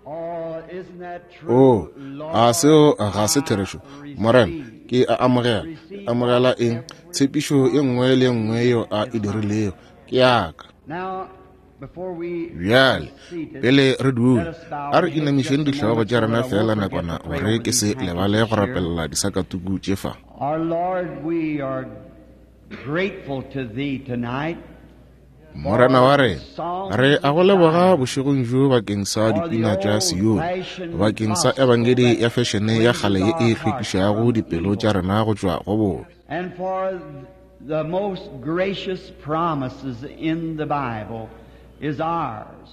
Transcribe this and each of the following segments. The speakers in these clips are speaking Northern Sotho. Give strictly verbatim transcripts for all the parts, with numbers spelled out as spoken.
O, a seo ga se therešo? Morena, ke a amogela. Amogela eng? Tshepišo ye nngwe le ye nngwe yeo a e dirilego ke ya ka. Bjale, pele re dula, a re inamišeng dihlogo tša rena fela nakwana gore ke se lebale go rapelela disakatuku tše fa. Morena wa rena, re a go leboga bošegong bjo bakeng sa dipina tša Sione, bakeng sa ebangedi ya fešene ya kgale ye e hlwekišago dipelo tša rena go tšwa go bobe.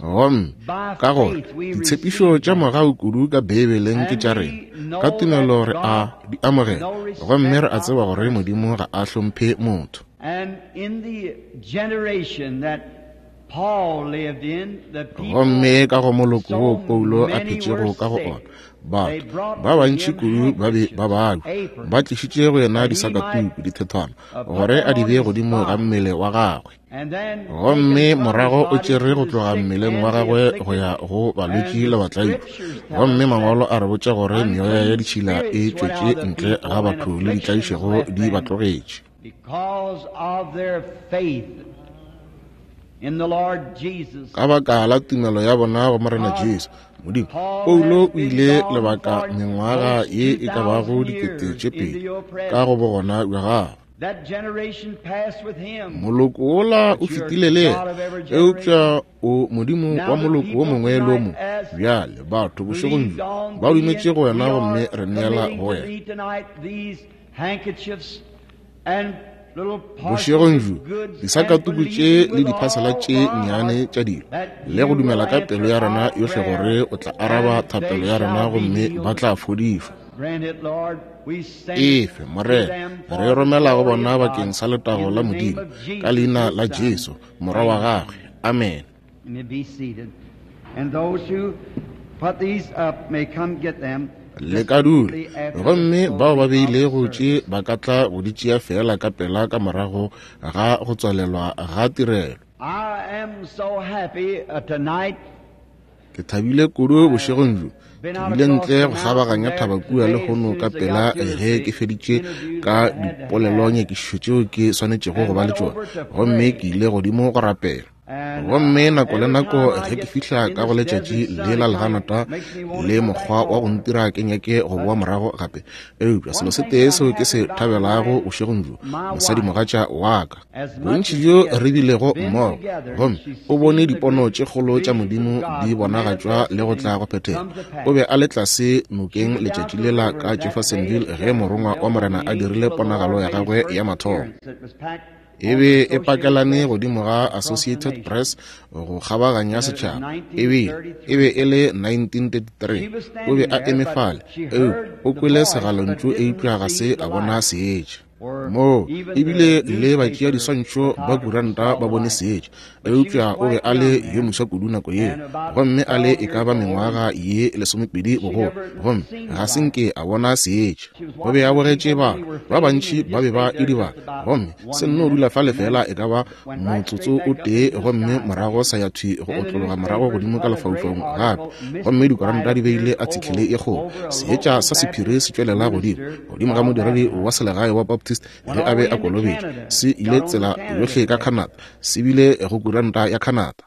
Gomme ka gore ditshepišo tša mogau kudu ka Beibeleng ke tša rena, ka tumelo re a di amogela, gomme re a tseba gore Modimo ga a hlomphe motho. Gomme ka go moloko wo Paulo a phetšego ka go ona, batho ba bantši kudu ba be ba babja, ba tlišitše go yena disakatuku, dithethwana, gore a di bee godimo ga mmele wa gagwe. Gomme morago o tšere go tloga mmeleng wa gagwe go ya go balwetši le batlaiki. Gomme mangwalo a re botša gore meoya ya ditšhila e tšwetše ntle ga batho le ditlaišego di ba tlogetše. Ka baka la tumelo ya bona go Morena Jesu, Modimo, Paulo o ile lebaka mengwaga ye e ka bago dikete tše pedi ka go bogona bja gagwe. Moloko wola o fetile le yena, eupša o Modimo wa moloko wo mongwe le wo mongwe. Bjale batho bošegong bjo ba dumetše go wena gomme re neela go wena. Bošegong bjo disakatuku tše le diphasela tše nnyane tša dilo, le go dumela ka pelo ya rena yohle gore o tla araba thapelo ya rena gomme ba tla fodišwa. Efe, Morena, re romela go bona bakeng sa letago la Modimo, ka leina la Jesu, Morwa wa gagwe. Amen. Le ka dula, gomme bao ba beilego tše ba ka tla go di tšea fela ka pela ka morago ga go tswalelwa ga tirelo. Ke thabile kudu bošegong bjo. Ke bile ntle go kgabaganya thaba kua lehono ka pela ge ke feditše ka dipolelonyakišišo tšeo ke swanetšego go ba le tšona, gomme ke ile godimo go rapela. Gomme nako le nako ge ke fihla ka go letšatši le la leganata le mokgwa wa go ntira ke nyake go boa morago gape, eupša selo se tee seo ke se thabelago bošegong bjo, mosadimogatša wa ka, bontši bjo re bilego mmogo, gomme o bone dipono tše kgolo tša Modimo di bonagatšwa le go tla go phethega. O be a le tlase nokeng letšatši lela ka Jeffersonville ge morongwa wa Morena a dirile ponagalo ya gagwe ya mathomo. E be e pakelane godimo ga Associated Press go kgabaganya setšhaba. E be e be e le nineteen thirty-three. O be a eme fale, eupša o kwele segalontšu eupša ga se a bona seetša. Moo ebile le batšea diswantšho ba kuranta ba bone seetša, eupša o be a le yo moswa kudu nako yeo, gomme a le e ka ba mengwaga ye lesomepedi bogolo, gomme ga se nke a bona seetša. O be a bogetše batho ba bantši ba be ba idibala, gomme se nno dula fale fela e ka ba motsotso o tee, gomme morago sa ya thwi go otlologa morago godimo ka lefaufaung gape, gomme dikuranta di beile athikele e kgolo, seetša sa sephiri se tšwelela godimo godimo ga modiredi wa selegae wa Baptist ge a be a kolobetšwa, se ile tsela yohle ka Canada, se bile go kuranta ya Canada.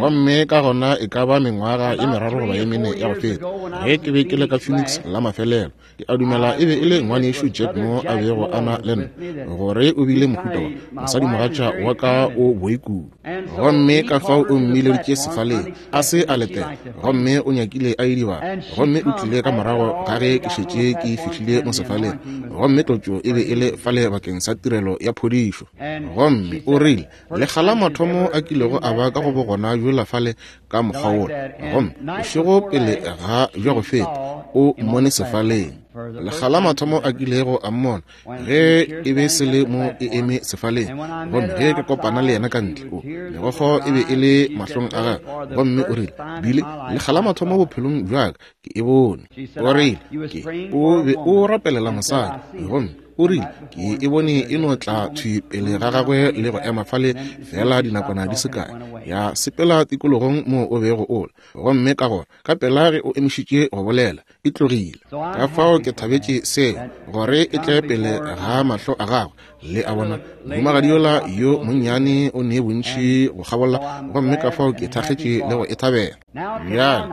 Gomme ka gona e ka ba mengwaga ye meraro goba ye mene ya go feta, ge ke be ke le ka Phoenix la mafelelo, ke a dumela e be e le ngwanešu Jack mo a bego a na le nna, gore o bile mohuta wa mosadimogatša wa ka o boi kudu, gomme ka fao o mmileditše sefaleng a se a letela, gomme o nyakile a idibala, gomme o tlile ka morago ga ge ke šetše ke fihlile mo sefaleng, gomme tlotšo e be e le fale bakeng sa tirelo ya phodišo. Gomme o rile lekga la mathomo a kilego a ba ka go bogona bjola fale ka mokgwa wola, gomme bošego pele ga bja go feta o mmone sefaleng. Lekga la mathomo a kilego a mmona ge e be se le mo e eme sefaleng, gomme ge ke kopana le yena ka ntle, o megokgo e be e le mahlong a gagwe, gomme o rile, Bile lekga la mathomo bophelong bja ka ke e bone. O rile, ke o be o rapelela mosadi, gomme o rile ke e bone e no tla thwi pele ga gagwe le go ema fale fela dinakwana di se kae, Ya sepela tikologong moo o bego o le, gomme ka gona ka pela ge o emišitše go bolela, e tlogile. Ka fao ke thabetše seo, gore e tle pele ga mahlo a gagwe. Le a bona, mohumagadi yola yo monnyane o ne bontši go kgabola, gomme ka fao ke thakgetše le go e thabela. Bjale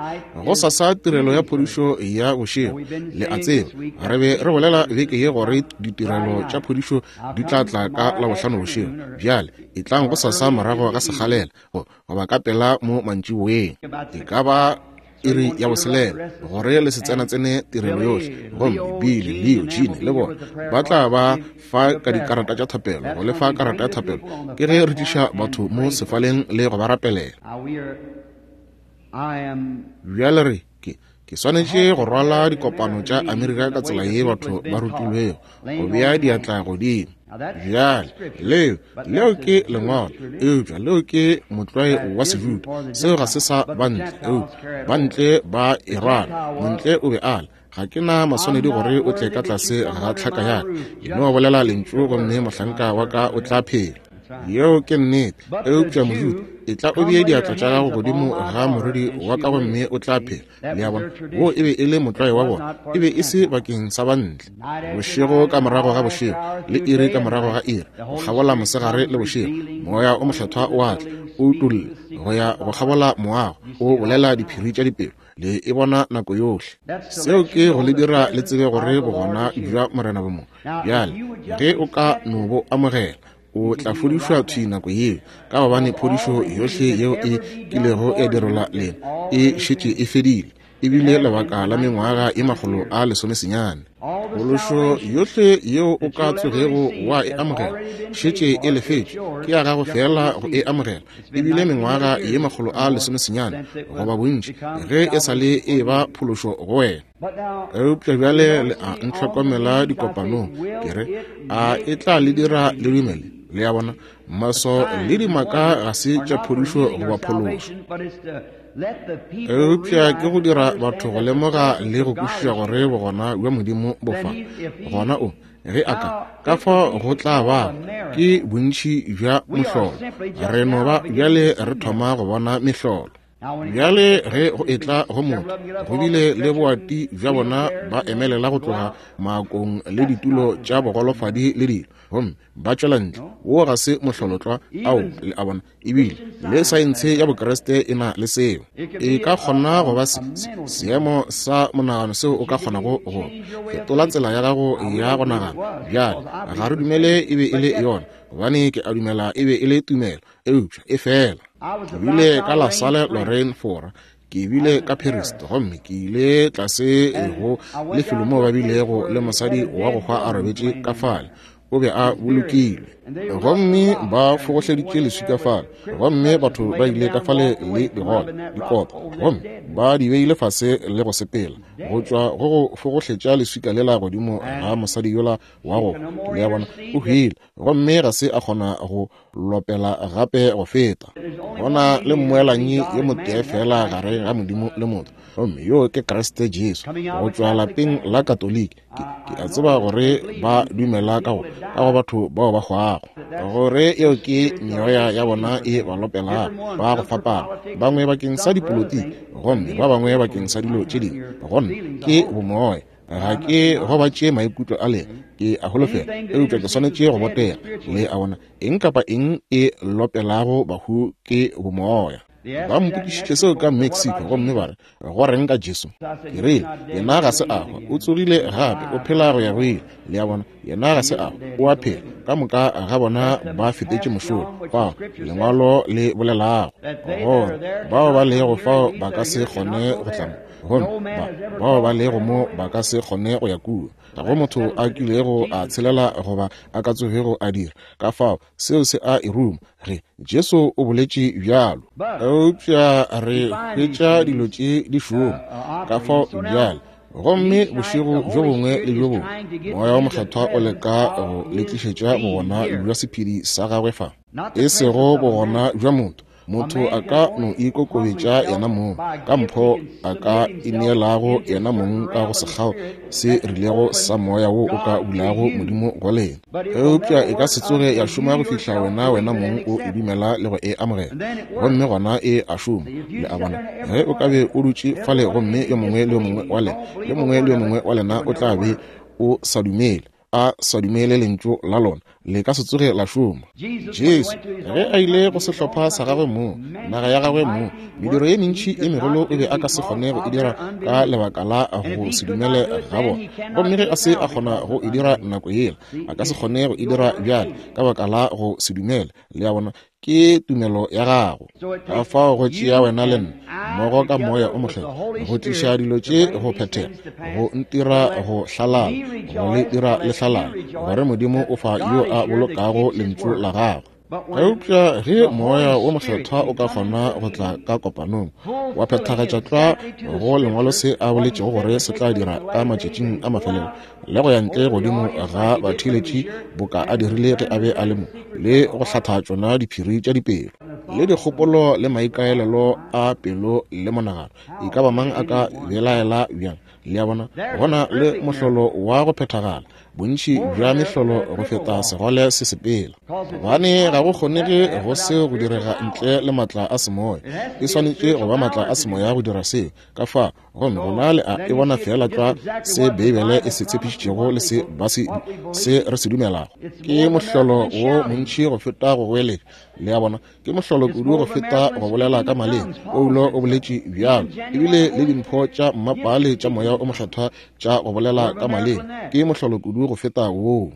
gosasa tirelo ya phodišo ya bošego, le a tseba, re be re bolela beke ye gore ditirelo tša phodišo di tla tla ka Labohlano bošego. Bjale e tlang gosasa morago ga sekgalela, goba ka pela mo mantšiboeng, e ka ba iri ya boselela, gore le se tsena-tsene tirelo yohle. Gomme Billy, Leo, Gene le bona ba tla ba fa ka dikarata tša thapelo, go lefa karata ya thapelo ke ge re tliša batho mo sefaleng le go ba rapelela. Bjale re ke ke swanetše go rwala dikopano tša Amerika ka tsela ye batho ba rutilwego go bea diatla godimo. Bjale leo leo ke lengwalo, eupša leo ke motlwae wa Sejuda. Seo ga se sa bantle, eupša bantle ba e rwala. Montle o be a le, ga ke na maswanedi gore o tle ka tlase ga tlhaka ya ka, e no bolela lentšu gomme mohlanka wa ka o tla phela. Yeo ke nnete. Eupša Mojuda, e tla o bee diatla tša gago godimo ga moriri wa ka gomme o tla phela. Le a bona, wo e be e le motlwae wa bona, e be e se bakeng sa bantle. Bošego ka morago ga bošego, le iri ka morago ga iri, go kgabola mosegare le bošego, moya o mokgethwa o a tla, o utolla go ya go kgabola moago, o bolela diphiri tša dipelo. Le e bona nako yohle. Seo ke go le dira le tsebe gore bogona bja Morena bo mo. Bjale ge o ka no bo amogela, o tla fodišwa thwi nako yeo, ka gobane phodišo yohle yeo e kilego ya direlwa lena e šetše e fedile, ebile lebaka la mengwaga e makgolo a lesomesenyane. Phološo yohle yeo o ka tsogego wa e amogela šetše e lefetšwe, ke ya gago fela go e amogela, ebile mengwaga ye makgolo a lesomesenyane goba bontši ge e sa le e ba phološo go wena. Eupša bjale le a ntlhokomela dikopanong, ke re, a e tla le dira le dumele? Le a bona, maso le dimaka ga se tša phodišo goba phološo, eupša ke go dira batho go lemoga le go kwešiša gore bogona bja Modimo bo fa. Gona o ge a ka ka fao go tla ba ke bontši bja mohlolo. Re no ba bjale re thoma go bona mehlolo. Bjale ge go etla go motho, go bile le boati bja bona ba emelela go tloga maakong le ditulo tša bogolofadi le dilo, gomme ba tšwela ntle. Wo ga se mohlolotlwa ao, le a bona. Ebile le saense ya Bokreste e na le seo. E ka kgona go ba seemo sa monagano seo o ka kgonago go fetola tsela ya gago ya go nagana. Bjale ga re dumele e be e le yona, gobane ke a dumela e be e le tumelo, eupša e fela. Ke bile ka La Salle Lorraine, Fora, ke bile ka Paris, gomme ke ile tlase go lefelo moo ba bilego le mosadi wa go hwa a robetše ka fale. O be a bolokilwe, gomme ba fogohleditše leswika fale, gomme batho ba ile ka fale le digole dikopa, gomme ba di beile fase le go sepela go tšwa go go fogohletša leswika lela godimo ga mosadi yola wa go. Le a bona, o hwile, gomme ga se a kgona go lopela gape go feta. Gona le mmoelanyi yo motee fela gare ga Modimo le motho, gomme yo ke Kriste Jesu, go tšwa lapeng la Katoliki. Ke, ke a tseba gore ba dumela ka go ka go batho bao ba hwago, gore eo ke meoya ya bona e ba lopelago, ba go fapana, bangwe bakeng sa dipolotiki, gomme ba bangwe bakeng sa dilo tše dingwe. Gomme ke bomoya. Ga ke gobatše maikutlo a lena, ke a holofela, eupša ke swanetše go botega. Le a bona, eng kapa eng e lopelago bahu ke bomoya. Ba mpotšišitše seo ka Mexico, gomme ba re, go reng ka Jesu? Ke rile, yena ga se a hwa, o tsogile gape, o phela go ya go ile. Le a bona, yena ga se a hwa, o a phela. Ka moka ga bona ba fetetše mošola fao lengwalo le bolelago gore bao ba lego fao ba ka se kgone go tla mo, gomme ba bao ba lego mo ba ka se kgone go ya kua. Ga go motho a kilego a tshelela goba a ka tsogego a dira. Ka fao seo se a e ruma ge Jesu o boletše bjalo. Eupša re hwetša dilo tše di šoma. Ka fao bjale, gomme bošego bjo bongwe le bjo bongwe, moya wa mokgethwa o leka go le tlišetša bogona bja sephedi sa gagwe fa, e sego bogona bja motho. Motho a ka no ikokobetša yena mong ka mpho a ka ineelago yena mong ka go sekgao se rilego sa moya wo o ka bulago Modimo go lena. Eupša e ka se tsoge ya šoma go fihla wena wena mong o e dumela le go e amogela, gomme gona e a šoma. Le a bona? Ge o ka be o dutše fale gomme yo mongwe le yo mongwe wa lena yo mongwe le yo mongwe wa lena o tla be o sa dumele, a sa dumele lentšu la lona, le ka se tsoge la šoma. Jesu ge a ile go sehlopha sa gagwe mong, naga ya gagwe mong, mediro ye mentši e megolo o be a ka se kgone go e dira ka lebaka la go se dumele ga bona. Gomme ge a se a kgona go e dira nako yela, a ka se kgone go e dira bjale ka baka la go se dumele. Le a bona? Ke tumelo ya gago. Ka fao go tšea wena le nna mmogo ka moya o mokgethwa go tliša dilo tše go phethega, go ntira go hlalala, go le dira le hlalala, gore Modimo o fa yo a bolokago lentšu la gagwe. Eupša ge moya wo mokgethwa o ka kgona go tla ka kopanong wa phethagatša tlwa go lengwalo se a boletšego gore se tla dira ka matšatšing a mafelelo, le go ya ntle godimo ga batheeletši boka a dirile ge a be a le mo, le go hlatha tšona diphiri tša dipelo le dikgopolo le maikaelelo a pelo le monagano, e ka ba mang a ka belaela bjang? Le a bona? Gona le mohlolo wa go phethagala, bontši bja mehlolo go feta segole se sepela, gobane ga go kgonege go seo go direga ntle le matla a semoya. E swanetše go ba matla a semoya go dira seo. Ka fa gomme gona le a e bona feela tlwa se Beibele e se tshepišitšego le se ba se se re se dumelago. Ke mohlolo wo montši go feta go goeletša. Le a bona? Ke mohlolo kudu go feta go bolela ka maleme. Paulo o boletše bjalo, ebile le dimpho tša mmapale tša moya o mokgethwa tša go bolela ka maleme ke mohlolo kudu go feta woo.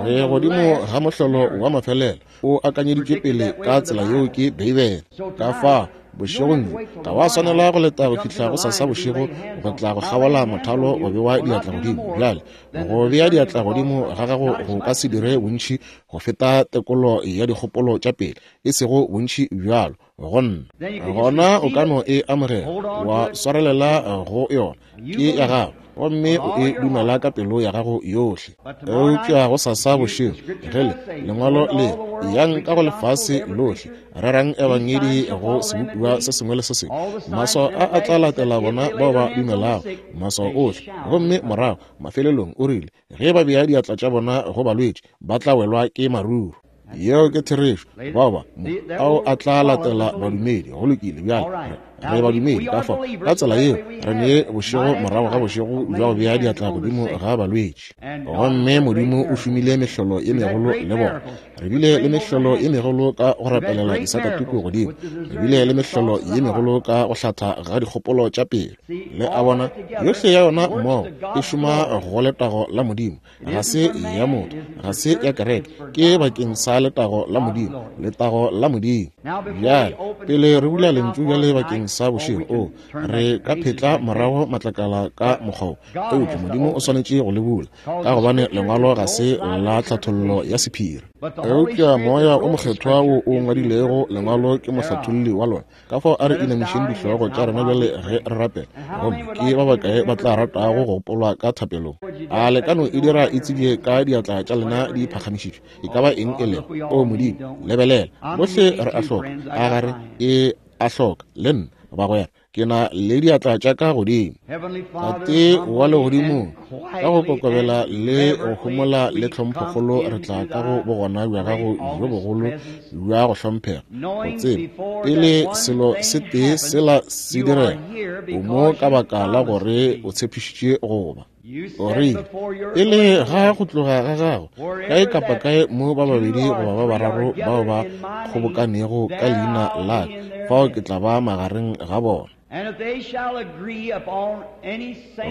Re godimo ga mohlolo wa mafelelo o akanyeditšwe pele ka tsela yeo ke Beibele. Ka fa bošegong bjo ga wa swanela go leta go fihla go sasa bošego go tla go kgabola mothalo go bewa diatla godimo. Bjale go bea diatla godimo ga gago go ka se dire bontši go feta tekolo ya dikgopolo tša pele, e sego bontši bjalo go nna. Gona o ka no e amogela wa swarelela go yona, ke ya gago, gomme o e dumela ka pelo ya gago yohle. Eupša go sasa bošego ge le lengwalo le yang ka go lefase lohle, rerang ebangedi go sebopiwa se sengwe le se sengwe, maswao a a tla latela bona bao ba dumelago, maswao ohle. Gomme morago mafelelong o rile ge ba bea diatla tša bona go balwetši ba tla welwa ke maruru. Yeo ke therešo. Bao ba mo ao a tla latela badumedi. Go lokile. Bjale re badumedi, ka fao ka tsela yeo re ne bošego morago ga bošego bja go bea diatla godimo ga balwetši, gomme Modimo o šomile mehlolo ye megolo le bona. Re bile le mehlolo ye megolo ka go rapelela disakatuku godimo, re bile le mehlolo ye megolo ka go hlatha ga dikgopolo tša pelo. Le a bona? Yohle ya yona mmogo e šoma go letago la Modimo, ga se ya motho, ga se ya kereke, ke bakeng sa letago la Modimo, letago la Modimo. Bjale pele re bula lentšu bjale bakeng sa bošego, o re ka phetla morago matlakala ka mokgwa wo, eupša Modimo o swanetše go le bula, ka gobane lengwalo ga se la tlhathollo ya sephiri. Eupša moya o mokgethwa wo o ngwadilego lengwalo ke mohlatholli wa lona. Ka fao a re inamišeng dihlogo tša rena bjale ge re rapela. Gomme ke ba bakae ba tla ratago go gopolwa ka thapelong? A le ka no e dira e tsebje ka diatla tša lena di phagamišitšwe? E ka ba eng e lego? O Modimo, lebelela, bohle re a hloka. A gare e a hloka le nna, bagwera, ke na le diatla tša ka godimo. Tate wa legodimong, ka go kokobela le go homola le tlhomphokgolo re tla ka go bogona bja gago bjo bogolo bja go hlomphega, go tseba pele selo se tee sela se direga, o mo ka baka la gore o tshepišitše go ba. O rile pele ga go tloga ga gago, kae kapa kae mo ba babedi goba ba bararo bao ba kgobokanego ka leina la ka, fao ke tla ba magareng ga bona.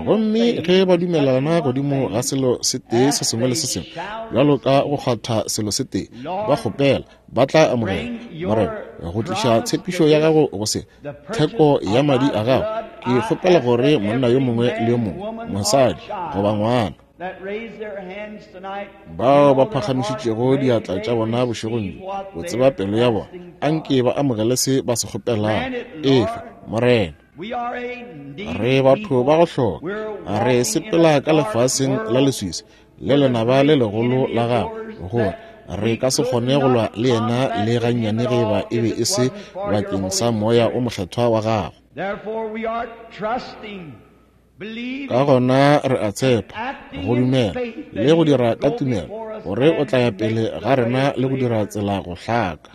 Gomme ge ba dumelana godimo ga selo se tee se sengwe le se sengwe, bjalo ka go kgwatha selo se tee, ba kgopela, ba tla amogela. Morena, go tliša tshepišo ya gago go se theko ya madi a gago, ke kgopela gore monna yo mongwe le yo mongwe, mosadi goba ngwana, bao ba phagamišitšego diatla tša bona bošegong bjo, o tseba pelo ya bona, anke ba amogele se ba se kgopelago. Efe, Morena. Re batho ba go hloka, re sepela ka lefaseng la leswiswi le lenaba le legolo la gago, gore Re ka se kgone go lwa le yena le gannyane ge eba e be e se bakeng sa Moya o Mokgethwa wa gago. Ka gona re a tshepa, go dumela le go dira ka tumelo, gore o tla ya pele ga rena le go dira tsela go hlaka.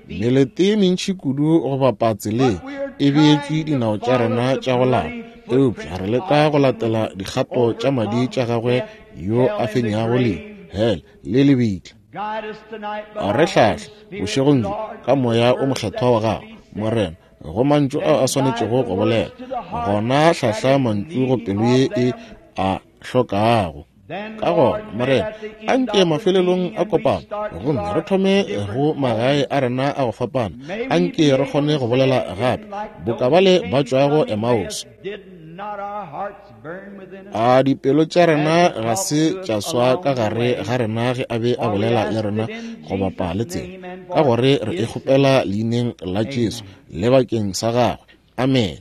Melete ye mentši kudu go bapa tseleng e beetšwe dinao tša rena tša go lapa, eupša re leka go latela dikgato tša madi tša gagwe yo a fenyago lehu, hele le lebitla. A re hlahle bošegong bjo ka Moya o Mokgethwa wa gago, Morena, go mantšu ao a swanetšego go bolela. Gona hlahla mantšu go pelo ye e a hlokago. Ka gona, Morena, anke mafelelong a kopano gomme re thome go magae a rena a go fapana, anke re kgone go bolela gape boka bale ba tšwago Emmaus. A dipelo tša rena ga se tša swa ka gare ga rena ge a be a bolela le rena go bapa le tsela, ka gore re e kgopela leineng la Jesu le bakeng sa gagwe. Amen.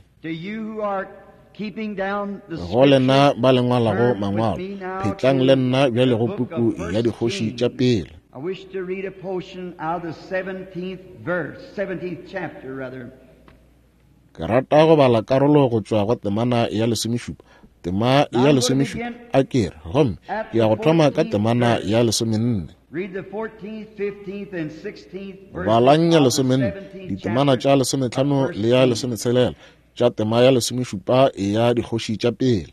Go lena ba le ngwalago mangwalo, phetlang le nna bjale go puku ya Dikgoši tša Pele. Ke rata go bala karolo go tšwa go temana ya lesomešupa, tema ya lesomešupa a ke re, gomme ke ya go thoma ka temana ya lesomenne. Balang ya lesomenne, ditemana tša lesometlhano le ya lesometshelela tša tema ya lesomešupa ya Dikgoši tša Pele.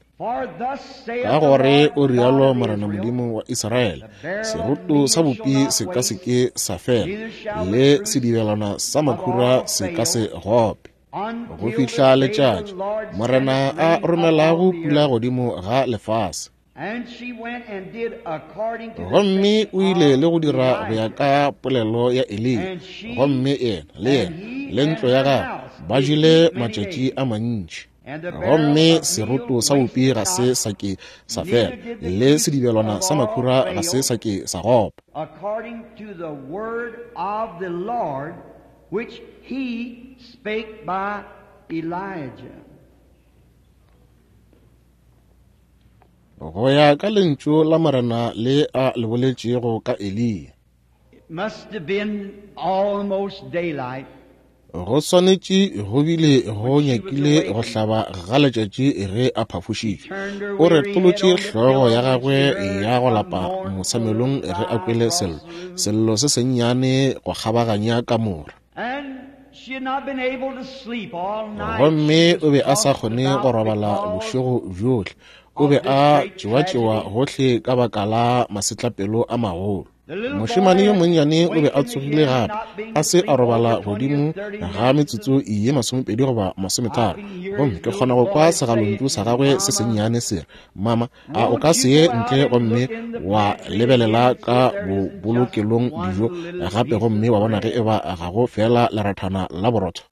Ka gore o rialo Morena Modimo wa Israele, seroto sa bupi se ka se ke sa fela, le sedibelwana sa makhura se ka se gope, go fihla letšatši Morena a romelago pula godimo ga lefase. Gomme o ile le go dira go ya ka polelo ya Eliya, gomme yena le yena le ntlo ya gagwe ba jele matšatši a mantši. Gomme seroto sa bupi ga se sa ke sa fela, le sedibelwana sa makhura ga se sa ke sa gopa. Which he spake by Elijah. Go ya ka lentšu la Morena le a le boletšego ka Eliya. It must have been almost daylight. Go swanetše go bile go nyakile go hlaba ga letšatši ge a phafošitšwe. O retolotše hlogo ya gagwe ya go lapa mosamelong ge a kwele sello, sello se sennyane go kgabaganya kamora. Gomme o be a sa kgone go robala bošego bjohle. O be a tšewa-tšewa gohle ka baka la masetlapelo a magolo. Mošemane yo monnyane o be a tsogile gape, a se a robala godimo ga metsotso ye masomepedi goba masometharo. Gomme ke kgona go kwa segalontšu sa gagwe se sennyane se re, Mama, a o ka se ye ntle gomme wa lebelela ka bobolokelong dijo gape gomme wa bona ge eba ga go fela lerathana la borotho?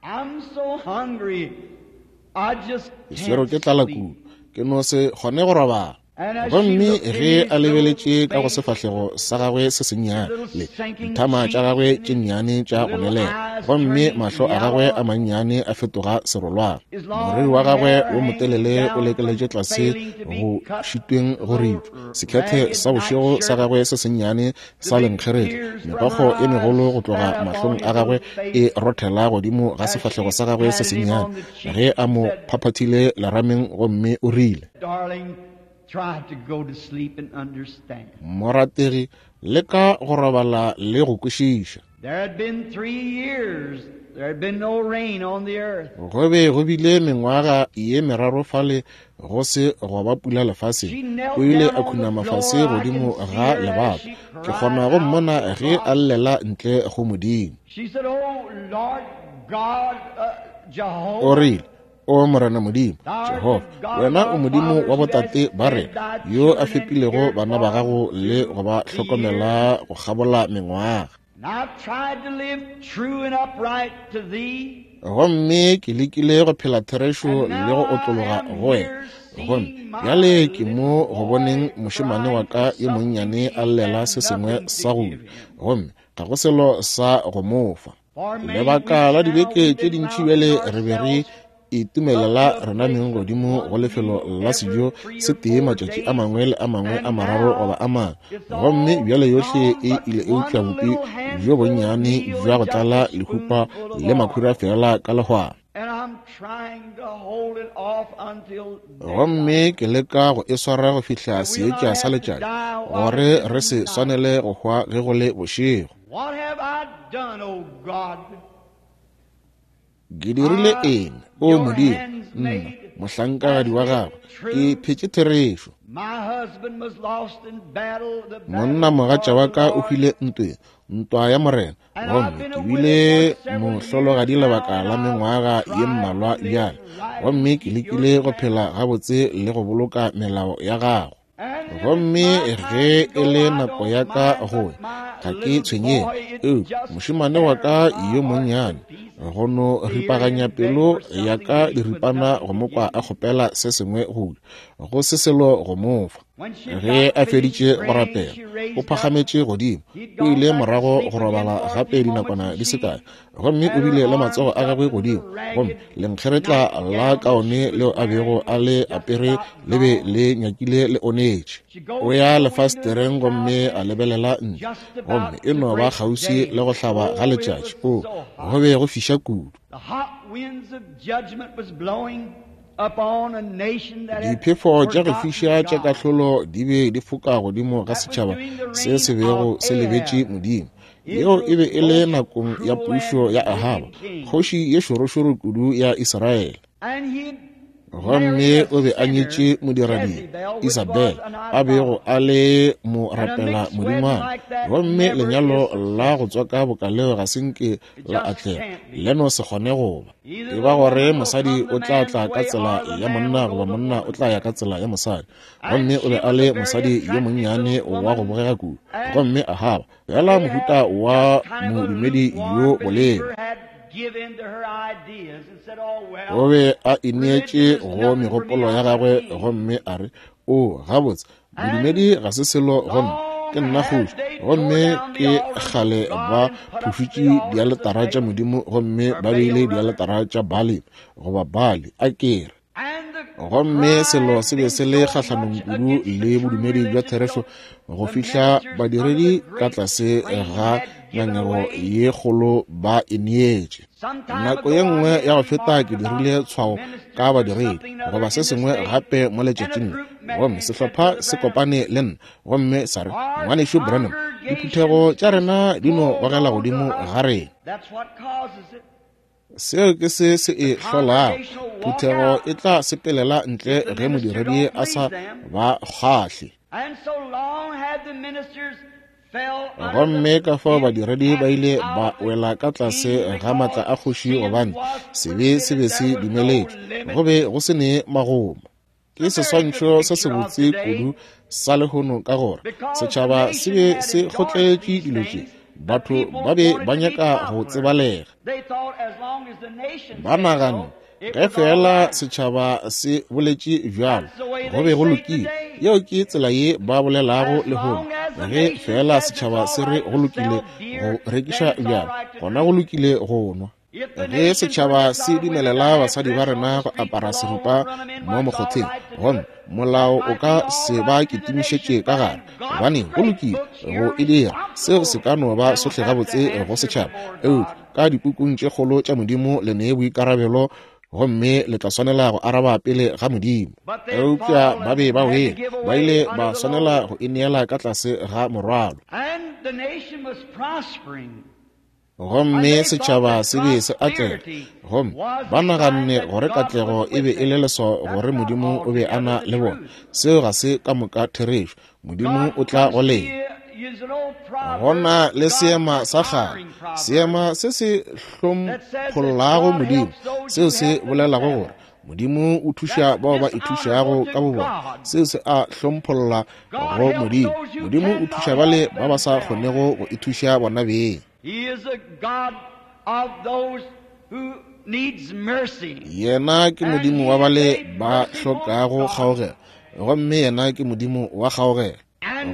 Ke swerwe ke tlala kudu, ke no se kgone go robala. Gomme ge a lebeletše ka go sefahlego sa gagwe se sennyane le dithama tša gagwe tše nnyane tša go nwelela, gomme mahlo a gagwe a mannyane a fetoga serolwana, moriri wa gagwe wo motelele o lekeletše tlase go šitweng go ripša, sekhethe sa bošego sa gagwe se sennyane sa lenkgeretla, megokgo e megolo go tloga mahlong a gagwe e rothela godimo ga sefahlego sa gagwe se sennyane ge a mo phaphathile lerameng, gomme o rile, Morategi, leka go robala le go kwešiša. Go be go bile mengwaga ye meraro fale go se go ba pula lefaseng. O ile a khunama fase godimo ga lebato. Ke kgona go mmona ge a llela ntle go Modimo. O rile, O Morena Modimo, Jehofa, wena o Modimo wa botate ba rena, yo a fepilego bana ba gago le go ba hlokomela go kgabola mengwaga. Gomme ke lekile go phela therešo le go otlologa go wena. Gomme bjale ke mo go boneng mošemane wa ka yo monnyane a llela se sengwe sa go ja, gomme ga go selo sa go mo fa. Lebaka la dibeke tše dintši bjale re be re itumelela rena meng godimo go lefelo la sejo se tee matšatši a mangwe le a mangwe a mararo goba a mangwe, gomme bjale yohle e ile eupša bupi bjo bonnyane bja go tlala lehupa le makhura fela ka lehwana. Gomme ke leka go e swara go fihla seetša sa letšatši, gore re se swanele go hwa ge go le bošego. Ke dirile eng, o Modimo, nna, mohlankagadi wa gago, ke phetše therešo. Monna mogatša wa ka o hwile ntweng, ntwa ya Morena, gomme ke bile mohlologadi lebaka la mengwaga ye mmalwa bjale, gomme ke lekile go phela gabotse le go boloka melao ya gago. Gomme ge e le nako ya ka go ya, ga ke tshwenyege, eupša mošemane wa ka yo monnyane go no ripaganya pelo ya ka diripana go mo kwa a kgopela se sengwe go ja, go se selo go mo fa. Ge a feditše go rapela, o phagametše godimo, o ile morago go robala gape dinakwana di se kae, gomme o bile le matsogo a gagwe godimo, gomme lenkgeretla la kaone leo a bego a le apere le be le nyakile le onetše. O ya lefastereng gomme a lebelela ntle, gomme e no ba kgauswi le go hlaba ga letšatši. O, go be go fiša kudu. Diphefo tša go fiša tša kahlolo di be di foka godimo ga setšhaba se se bego se lebetše Modimo. Yeo e be e le nakong ya pušo ya Ahaba, kgoši ye šorošoro kudu ya Israele. Gomme o be a nyetše modiradibe Isabel, a bego a le mo rapela modingwana, gomme lenyalo la go tswaka bokaleo ga se nke la atlega, le no se kgone go ba. E ba gore mosadi o tla tla ka tsela ya monna goba monna o tla ya ka tsela ya mosadi. Gomme o be a le mosadi yo monnyane wa go bogega kudu, gomme Ahaba fela mohuta wa modumedi yo bolelo. O be a ineetše go megopolo ya gagwe gomme a re, o, gabotse, bodumedi ga se selo go nna, ke nna kgoši, gomme ke kgale ba phušutše dialetara tša Modimo gomme ba beile dialetara tša Baali goba Baali, a ke re. Gomme selo se be se le kgahlanong kudu le bodumedi bja therešo go fihla badiredi ka tlase ga ngangego ye kgolo ba ineetše. Nako ye nngwe ya go feta ke dirile tshwao ka badiredi goba se sengwe gape mo letšatšing le, gomme sehlopha se kopane le nna gomme sa re, Ngwanešu Branham, diphuthego tša rena di no gogela godimo ga rena. Seo ke se se e hlolago. Phuthego e tla sepelela ntle ge modiredi a sa ba kgahle. Gomme ka fao badiredi ba ile ba wela ka tlase ga matla a kgoši, gobane sebe se be se dumeletšwe, go be go se ne magomo. Ke seswantšho se sebotse kudu sa lehono ka gore setšhaba se be se kgotletše dilo tše. Batho ba be ba nyaka go tsebalega. Ba nagana ge fela setšhaba se boletše bjalo, go be go lokile. Yeo ke tsela ye ba bolelago lehono. Ge fela setšhaba se re go lokile go rekiša bjalo, gona go lokile go nwa. Ge setšhaba se dumelela basadi ba rena go apara seripa mo mokgotheng, gomme molao o ka se ba kitimišetše ka gare, gobane go lokile go e dira, seo se ka no ba sohle gabotse go setšhaba, eupša ka dipukung tše kgolo tša Modimo le nee boikarabelo, gomme le tla swanela go araba pele ga Modimo. Eupša ba be ba wele, ba ile ba swanela go ineela ka tlase ga morwalo. Gomme setšhaba se be se atlega, gomme ba naganne gore katlego e be e le leswao gore Modimo o be a na le bona. Seo ga se ka moka therešo. Modimo o tla go lena. Go na le seema sa kgale, seema se se hlomphollago Modimo, seo se bolelago gore Modimo o thuša bao ba ithušago ka bobona. Seo se a hlompholla go Modimo. Modimo o thuša bale ba ba sa kgonego go ithuša bona beng. Yena ke Modimo wa bale ba hlokago kgaogelo, gomme yena ke Modimo wa kgaogelo.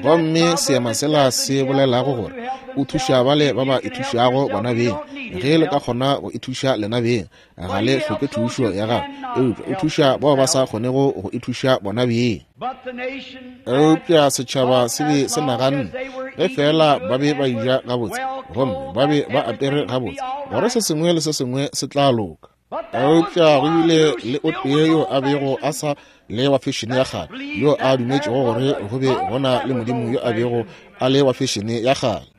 Gomme seema sela se bolelago gore O thuša bale ba ba ithušago bona beng. Ge le ka kgona go ithuša lena beng, ga le hloke thušo ya gagwe, eupša o thuša bao ba sa kgonego go ithuša bona beng. Eupša setšhaba se be se naganne ge fela ba be ba eja gabotse gomme ba be ba apere gabotse, gore se sengwe le se sengwe se tla loka. Eupša go bile le o tee yo a bego a sa le wa fešene ya kgale, yo a dumetšego gore go be go na le Modimo yo a bego a le wa fešene ya kgale,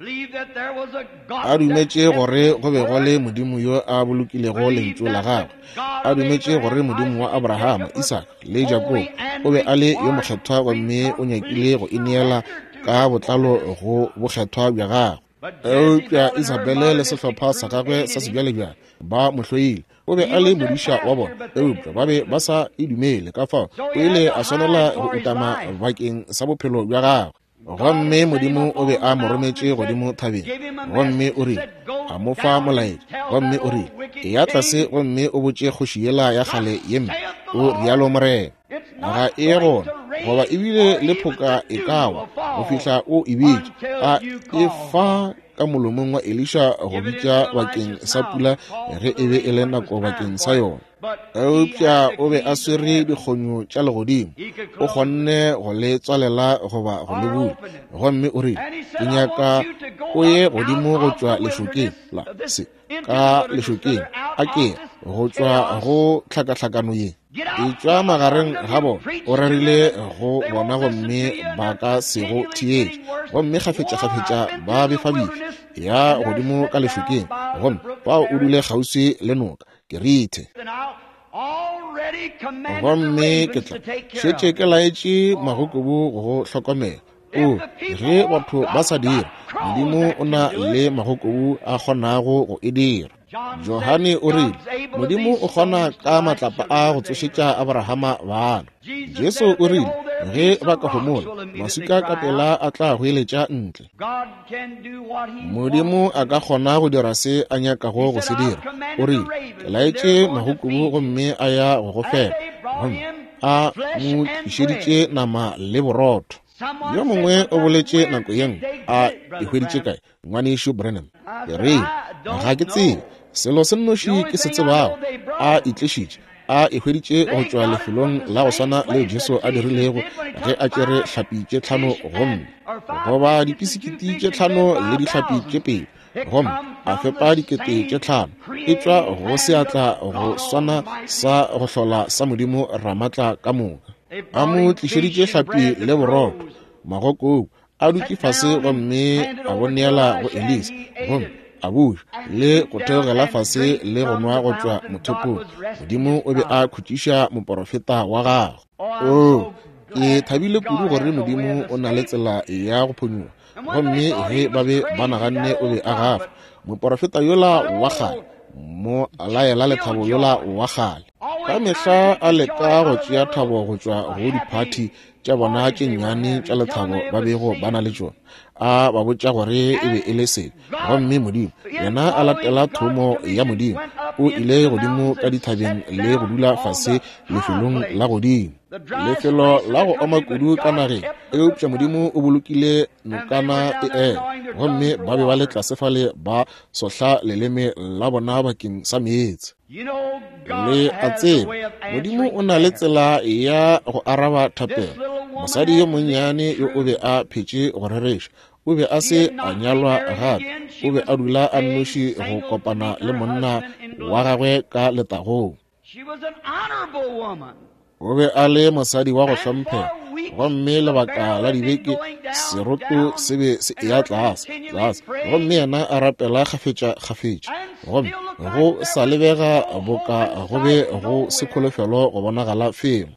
a dumetše gore go be go le Modimo yo a bolokilego lentšu la gagwe, a dumetše gore Modimo wa Abrahama, Isaka le Jakobo o be a le yo mokgethwa gomme o nyakile go ineela ka botlalo go bokgethwa bja gagwe. Eupša Isabele le sehlopha sa gagwe sa sebjalebjale ba mo hloile. O be a le modiša wa bona, eupša ba be ba sa e dumele, ka fao o ile a swanela go utama bakeng sa bophelo bja gagwe. Gomme Modimo o be a mo rometše godimo thabeng, gomme o rile, a mo fa molaetša, gomme o rile, eya tlase gomme o botše kgoši yela ya kgale ye mpe, o rialo Morena, ga e gona goba ebile le phoka e ka wa go fihla o e bitša. A e fa ka molomong wa Elisha go bitša bakeng sa pula ge e be e le nako bakeng sa yona. Eupša o be a swere dikgonyo tša legodimo, o kgonne go le tswalela goba go le bula. Gomme o rile, ke nyaka o ye godimo go tšwa lešokeng la se ka lešokeng a ke go tšwa go tlhakatlhakano ye, etšwa magareng ga bona. O rerile go bona gomme ba ka se go theetše, gomme kgafetšakgafetša ba befabefi. Ya godimo ka lešokeng, gomme fao o dule kgauswi le noka Kerithe. Gomme ke tla šetše ke laetše magokobu go go hlokomela. O ge batho ba sa dira, Modimo o na le magokobu a kgonago go e dira. Johane o rile, Modimo o kgona ka matlapa a go tsošetša Abrahama bana. Jesu o rile, ge ba ka homola, maswika ka pela a tla goeletša ntle. Modimo a ka kgona go dira se a nyakago go se dira. O rile, ke laetše magokobu gomme a ya go go fepa, gomme a mo tlišeditše nama le borotho. Yo mongwe o boletše nako ye nngwe, a e hweditše kae, ngwanešu Branham? Ke rile, ga ke tsebe. Selo se nnoši ke se tsebago, a itlišitše, a e hweditše go tšwa lefelong la go swana leo Jesu a dirilego ge a tšere hlapi tše tlhano gomme goba dipisikiti tše tlhano le dihlapi tše pedi, gomme a fepa dikete tše tlhano. E tšwa go seatla go swana sa go hlola sa Modimo Ramatla ka moka. A mo tlišeditše hlapi le borotho, magokobu a dutše fase gomme a bo neela go Elisa, gomme a buša le go theogela fase le go nwa go tšwa mothopong. Modimo o be a khutšiša moporofeta wa gagwe. O ke thabile kudu gore Modimo o na le tsela ya go phonyoga. Gomme ge ba be ba naganne o be a gafa, moporofeta yola wa kgale, mo laela lethabo yola wa kgale, ka mehla a leka go tšea thabo go tšwa go diphathi tša bona tše nnyane tša lethabo ba bego ba na le tšona, a ba botša gore e be e le sebe. Gomme Modimo yena a latela thomo ya Modimo, o ile godimo ka dithabeng le go dula fase lefelong la godimo, lefelo la go oma kudu ka nageng. Eupša Modimo o bolokile nokana e ela, gomme ba be ba le tlase fale ba sohla leleme la bona bakeng sa meetse. Le a tseba, Modimo o na le tsela ya go araba thapelo. Mosadi yo monnyane yo o be a phetše go rereša, o be a se a nyalwa gape, o be a dula a nnoši go kopana le monna wa gagwe ka letagong. O be a le mosadi wa go hlomphega, gomme lebaka la dibeke seroto se be se eya tlase tlase, gomme yena a rapela kgafetša kgafetša, gomme go sa lebega boka go be go se kholofelo go bonagala felo.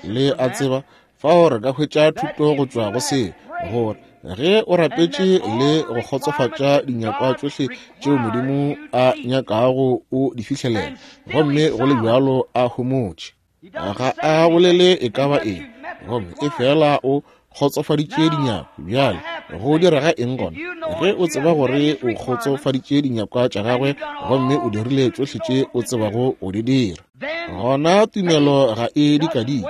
Le a tseba, fao re ka hwetša thuto go tšwa go se, gore ge o rapetše le go kgotsofatša dinyakwa tšohle tšeo Modimo a nyakago o di fihlelela, gomme go le bjalo a homotše, ga a bolele e ka ba eng, gomme e fela o kgotsofaditše dinyakwa. Bjale go direga eng gona ge o tseba gore o kgotsofaditše dinyakwa tša gagwe gomme o dirile tšohle tše o tsebago o di dira? Gona tumelo ga e dikadike,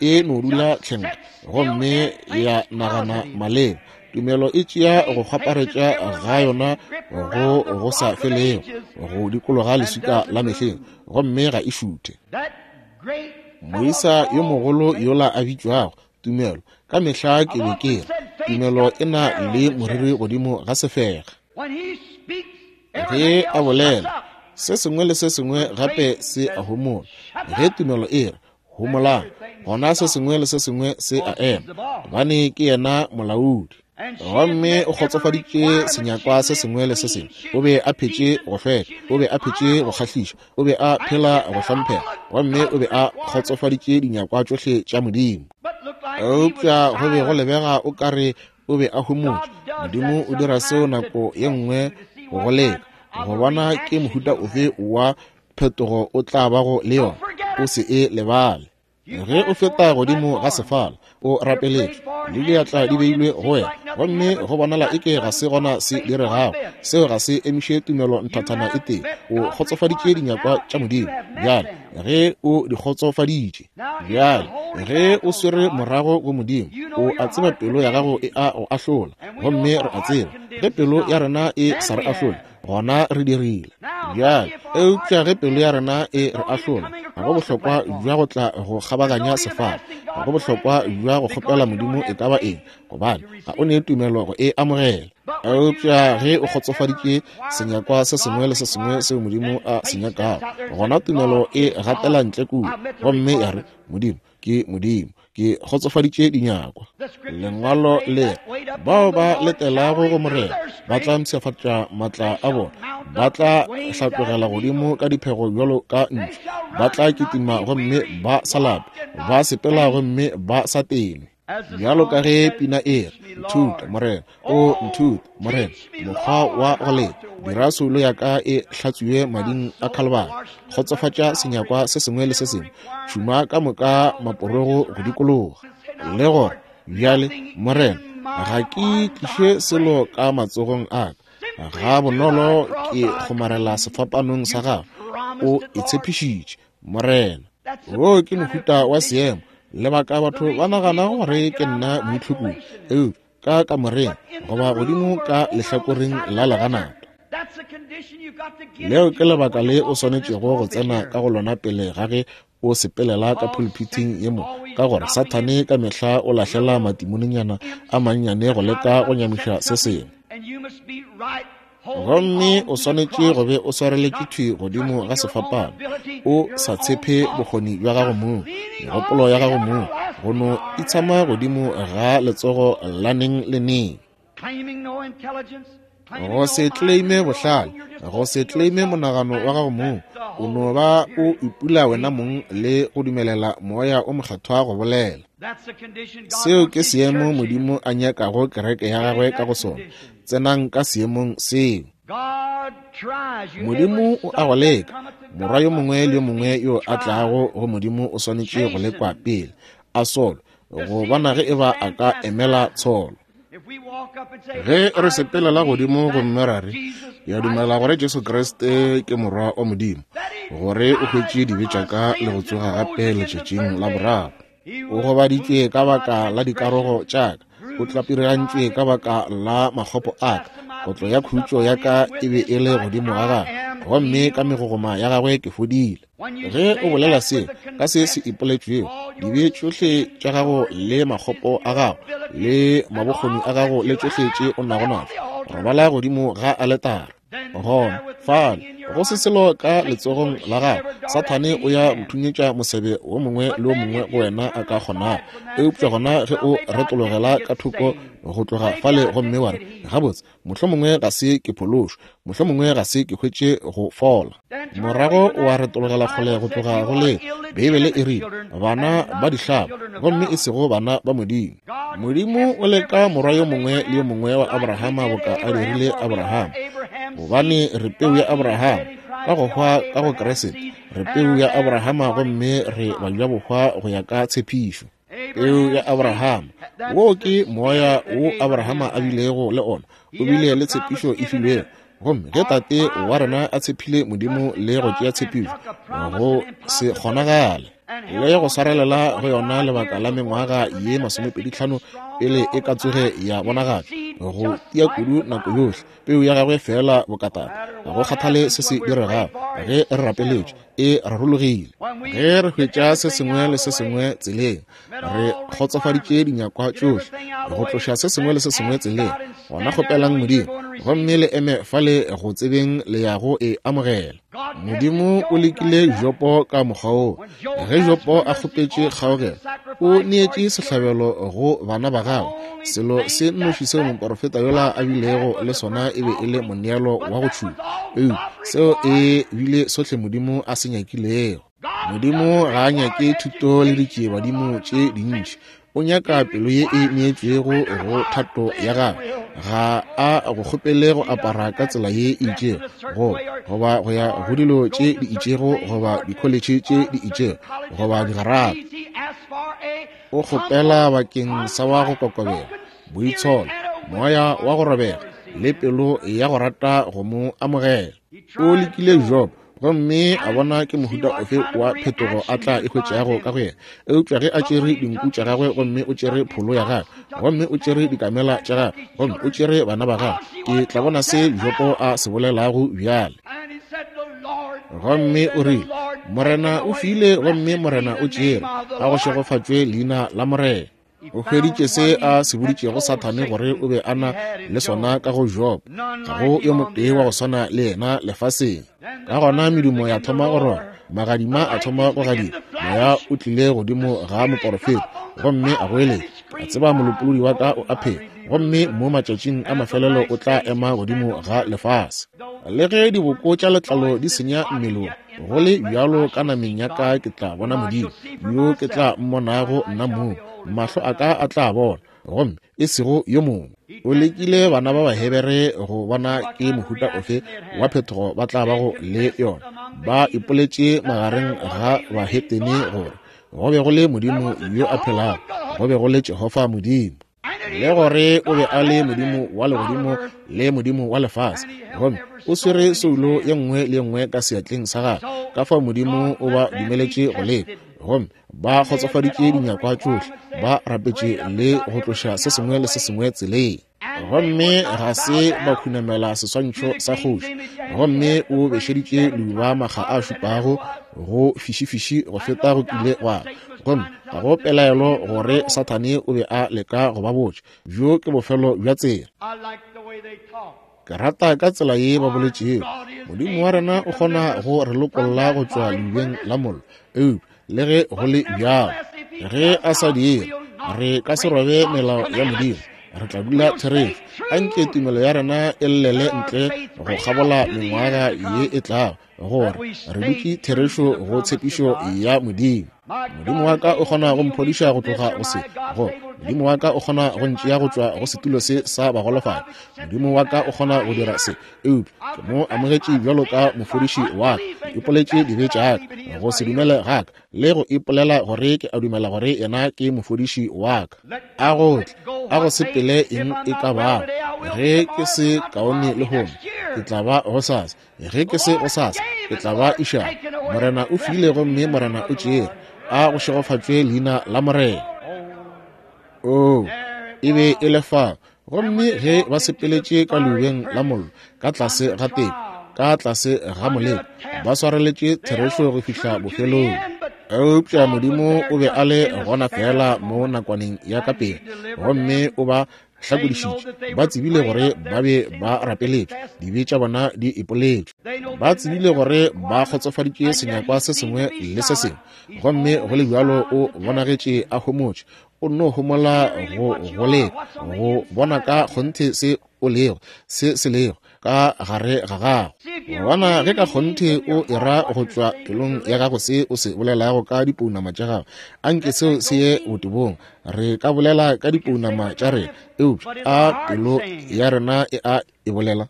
e no dula tlhenka gomme ya nagana maleba. Tumelo e tšea go kgwaparetša ga yona go go sa felego go dikologa leswika la mehleng, gomme ga e šuthe. Moisa yo mogolo yola a bitšwago Tumelo, ka mehla ke be ke re tumelo e na le moriri godimo ga sefega. Ge a bolela, se sengwe le se sengwe gape se a homola. Ge tumelo e re homolang, gona se sengwe le se sengwe se a ema, gobane ke yena molaodi. Gomme o kgotsofaditše senyakwa se sengwe le se sengwe. O be a phetše go hlweka, o be a phetše go kgahliša, o be a phela go hlomphega, gomme o be a kgotsofaditše dinyakwa tšohle tša Modimo. Eupša go be go lebega o ka re o be a homotše. Modimo o dira seo nako ye nngwe go go leka, go bona ke mohuta ofe wa phetogo o tla bago le yona. O se e lebale. Ge o feta godimo ga sefala, o rapeletšwe, le diatla di beilwe go wena, gomme go bonala eke ga se gona se diregago. Seo ga se emiše tumelo nthathana e tee. O kgotsofaditše dinyakwa tša Modimo bjale ge o di kgotsofaditše. Bjale ge o swere morago go Modimo, o a tseba pelo ya gago e a go ahlola, gomme re a tseba ge pelo ya rena e sa re ahlole, gona re dirile. Bjale eupša ge pelo ya rena e re ahlola, ga go bohlokwa bja go tla go kgabaganya sefala, ga go bohlokwa bja go kgopela Modimo e ka ba eng, gobane ga o ne tumelo go e amogela. Eupša ge o kgotsofaditše senyakwa se sengwe le se sengwe seo Modimo a se nyakago, gona tumelo e gatela ntle kua, gomme ya re, Modimo ke Modimo, ke kgotsofaditše dinyakwa. Lengwalo le, bao ba letelago go Morena ba tla mpshafatša matla a bona, ba tla hlatlogela godimo ka diphego bjalo ka ntšu, ba tla kitima gomme ba sa lape, ba sepela gomme ba sa tenwe. Bjalo ka ge pina e re, nthuta Morena, o nthuta Morena mokgwa wa go leta, dira soulo ya ka e hlatswiwe mading a Khalibari, kgotsofatša senyakwa se sengwe le se sengwe, tšhuma ka moka maporogo go dikologa. Le gore bjale Morena, ga ke tliše selo ka matsogong a ka, ga bonolo ke kgomarela sefapanong sa gago. O e tshepišitše Morena. Wo ke mohuta wa seemo. Lebaka batho ba nagana gore ke nna moitlhokodi, eupša ka kamoreng goba godimo ka lehlakoreng la leganata. Leo ke lebaka le o swanetšego go tsena ka go lona pele ga ge o sepelela ka pulpiting ye mo, ka gore Sathane ka mehla o lahlela matimoninyana a mannyane go leka go nyamiša se sengwe. Gomme o swanetše go be o swareletše thwi godimo ga sefapano, o sa tshepe bokgoni bja gago mong, megopolo ya gago mong, go no itshama godimo ga letsogo la neng le neng. Go se claime bohlale, go se claime monagano wa gago mong, o no ba o ipula wena mong le go dumelela moya o mokgethwa go bolela. Seo ke seemo Modimo a nyakago kereke ya gagwe ka go sona. Tsenang ka seemong seo. Modimo o a go leka. Morwa yo mongwe le yo mongwe yo a tlago go Modimo o swanetše go lekwa pele, a solwe, go bona ge eba a ka emela tsholo. Ge re sepelela godimo gomme ra re, ke a dumela gore Jesu Kriste ke morwa wa Modimo, gore o hwetše dibe tša ka le go tsoga gape letšatšing la boraro. O gobaditšwe ka baka la dikarogo tša ka, o tlapirigantšwe ka baka la makgopo a ka, kotlo ya khutšo ya ka e be e le godimo ga gagwe, gomme ka megogoma ya gagwe ke fodile. Ge o bolela seo ka se se ipoletšwego, dibe tšohle tša gago le makgopo a gago le mabokgoni a gago le tšohle tše o nago natšo, robala godimo ga aletara. Gona fale go se selo ka letsogong la gago, Sathane o ya go thunyetša mosebe wo mongwe le wo mongwe go wena a ka kgonago. Eupša gona ge o retologela ka thoko go tloga fale gomme wa re, gabotse, mohlomongwe ga se ke phološwe, mohlomongwe ga se ke hwetše go fola, morago wa retologela kgole go tloga go le. Beibele e rile bana ba dihlaba gomme e sego bana ba Modimo. Modimo o leka morwa yo mongwe le yo mongwe wa Abrahama boka a dirile Abrahama, gobane re peu ya Abrahama ka go hwa ka go Kriste. Re peu ya Abrahama gomme re bajabohwa go ya ka tshepišo. Peu ya Abrahama, wo ke moya wo Abrahama a bilego le ona, o bile le tshepišo e filwego. Gomme ge tate wa rena a tshephile Modimo le go tšea tshepišo, go se kgonagale. le go swarelela go yona lebaka la mengwaga ye masomepedi tlhano pele e ka tsoge ya bonagatšwa, go tia kudu nako yohle peu ya gagwe fela bokatata. Ga go kgathale se se diregago, ge re rapeletše e rarologile. Ge re hwetša se sengwe le se sengwe tseleng, re kgotsofaditše dinyakwa tšohle, go tloša se sengwe le se sengwe tseleng, gona kgopelang Modimo gomme le eme fale go tsebeng le ya go e amogela. Modimo o lekile Jopo ka mokgwa woo. Ge Jopo a kgopetše kgaogelo, o neetše sehlabelo go bana ba gagwe. Selo se nnoši seo moporofeta yola a bilego le sona e be e le moneelo wa go tšhuma, eupša seo e bile sohle Modimo a se nyakilego. Modimo ga a nyake thuto le ditšiebadimo tše dintši. O nyaka pelo ye e neetšwego go thato ya gagwe. Ga a go kgopele go apara ka tsela ye e itšego, go goba go ya go dilo tše di itšego, goba dikholetšhe tše di itšego, goba digarata. O kgopela bakeng sa wa go kokobela, boitsholo, moya wa go robega, le pelo ya go rata go mo amogela. O lekile Job gomme a bona ke mohuta ofe wa phetogo a tla e hwetšago ka go yena. Eupša ge a tšere dinku tša gagwe, gomme o tšere pholo ya gagwe, gomme o tšere dikamela tša gagwe, gomme o tšere bana ba gagwe, ke tla bona se Jopo a se bolelago bjale. Gomme o rile, Morena o file gomme Morena o tšere, a go šegofatšwe leina la Morena. O hweditše se a se boditšego Sathane gore o be a na le sona ka go Job. Ga go yo motee wa go swana le yena lefaseng. Ka gona medumo ya thoma go roba, magadima a thoma go gadima, moya o tlile godimo ga moporofeta gomme a goeletša, a tseba molopolodi wa ka o a phela, gomme mo matšatšing a mafelelo o tla ema godimo ga lefase. Le ge diboko tša letlalo di senya mmelong, go le bjalo ka nameng ya ka ke tla bona Modimo, yo ke tla mmonago nna mong, mahlo a ka a tla bona, gomme e sego yo mongwe. O lekile bana ba Bahebere go bona ke mohuta ofe wa phetogo ba tla bago le yona. Ba ipoletše magareng ga bahetene gore go be go le Modimo yo a phelago, go be go le Jehofa Modimo, le gore o be a le Modimo wa legodimo le Modimo wa lefase, gomme o swere soulo ye nngwe le ye nngwe ka seatleng sa gagwe. Ka fao Modimo o ba dumeletše go leka, gomme ba kgotsofaditše dinyakwa tšohle, ba rapetše le go tloša se sengwe le se sengwe tseleng, gomme ga se ba khunamela seswantšho sa kgoši. Gomme o bešeditše leuba makga a šupago go fišifiši go feta go kile gwa, gomme ga go pelaelo gore Sathane o be a leka go ba botša, bjo ke bofelo bja tsela. Ke rata ka tsela ye ba boletšego, Modimo wa rena o kgona go re lokolla go tšwa leubeng la mollo, eupša le ge go le bjalo, ge a sa dire, re ka se robe melao ya Modimo, re tla dula therešo. Anke tumelo ya rena e llele ntle go kgabola mengwaga ye e tlago, gore re dutše therešo go tshepišo ya Modimo. Modimo wa ka o kgona go mphodiša go tloga go se, go Modimo wa ka o kgona go ntšea go tšwa go setulo se sa bagolofadi. Modimo wa ka o kgona go dira se, eupša ke mo amogetše bjalo ka mofodiši wa ka. Ke ipoletše dibe tša ka, go se dumele ga ka, le go ipolela gore ke a dumela gore yena ke mofodiši wa ka. A go tle, a go sepele eng e ka bago. Ge ke se kaone lehono, ke tla ba gosasa. Ge ke se gosasa, ke tla ba išago. Morena o file gomme Morena o tšere, a go šegofatšwe leina la Morena. Oh, e be e le fao. Gomme ge ba sepeletše ka leubeng la mollo, ka tlase ga teko, ka tlase ga moleko, ba swareletše therešo go fihla bofelong. Eupša Modimo o be a le gona fela mo nakwaneng ya ka pele, gomme o ba hlakodišitše. Ba tsebile gore ba be ba rapeletšwe, dibe tša bona di ipoletšwe. Ba tsebile gore ba kgotsofaditše senyakwa se sengwe le se sengwe, gomme go le bjalo o bonagetše a homotše. O nno homola go go leka go bona ka kgonthe se o lego, se se lego ka gare ga gago. Bona ge ka kgonthe o era go tšwa pelong ya gago se o se bolelago ka dipounama tša gago, anke seo se ye botebong. Re ka bolela ka dipounama tša rena, eupša a pelo ya rena e a e bolela?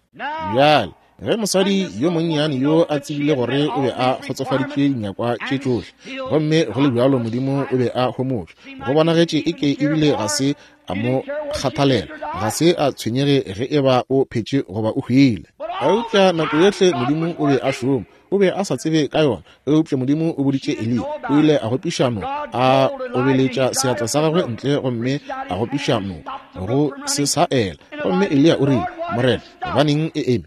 Bjale ge mosadi yo monnyane yo a tsebile gore o be a kgotsofaditše dinyakwa tše tšohle, gomme go le bjalo Modimo o be a homotše, go bonagetše eke ebile ga se a mo kgathalela, ga se a tshwenyege ge e ba o phetše goba o hwile. Eupša nako yohle Modimo o be a šoma. O be a sa tsebe ka yona, eupša Modimo o boditše Eliya. O ile a gopiša noka, a obeletša seatla sa gagwe ntle gomme a gopiša noka go se sa ela. Gomme Eliya o rile, Morena, gobaneng e eme?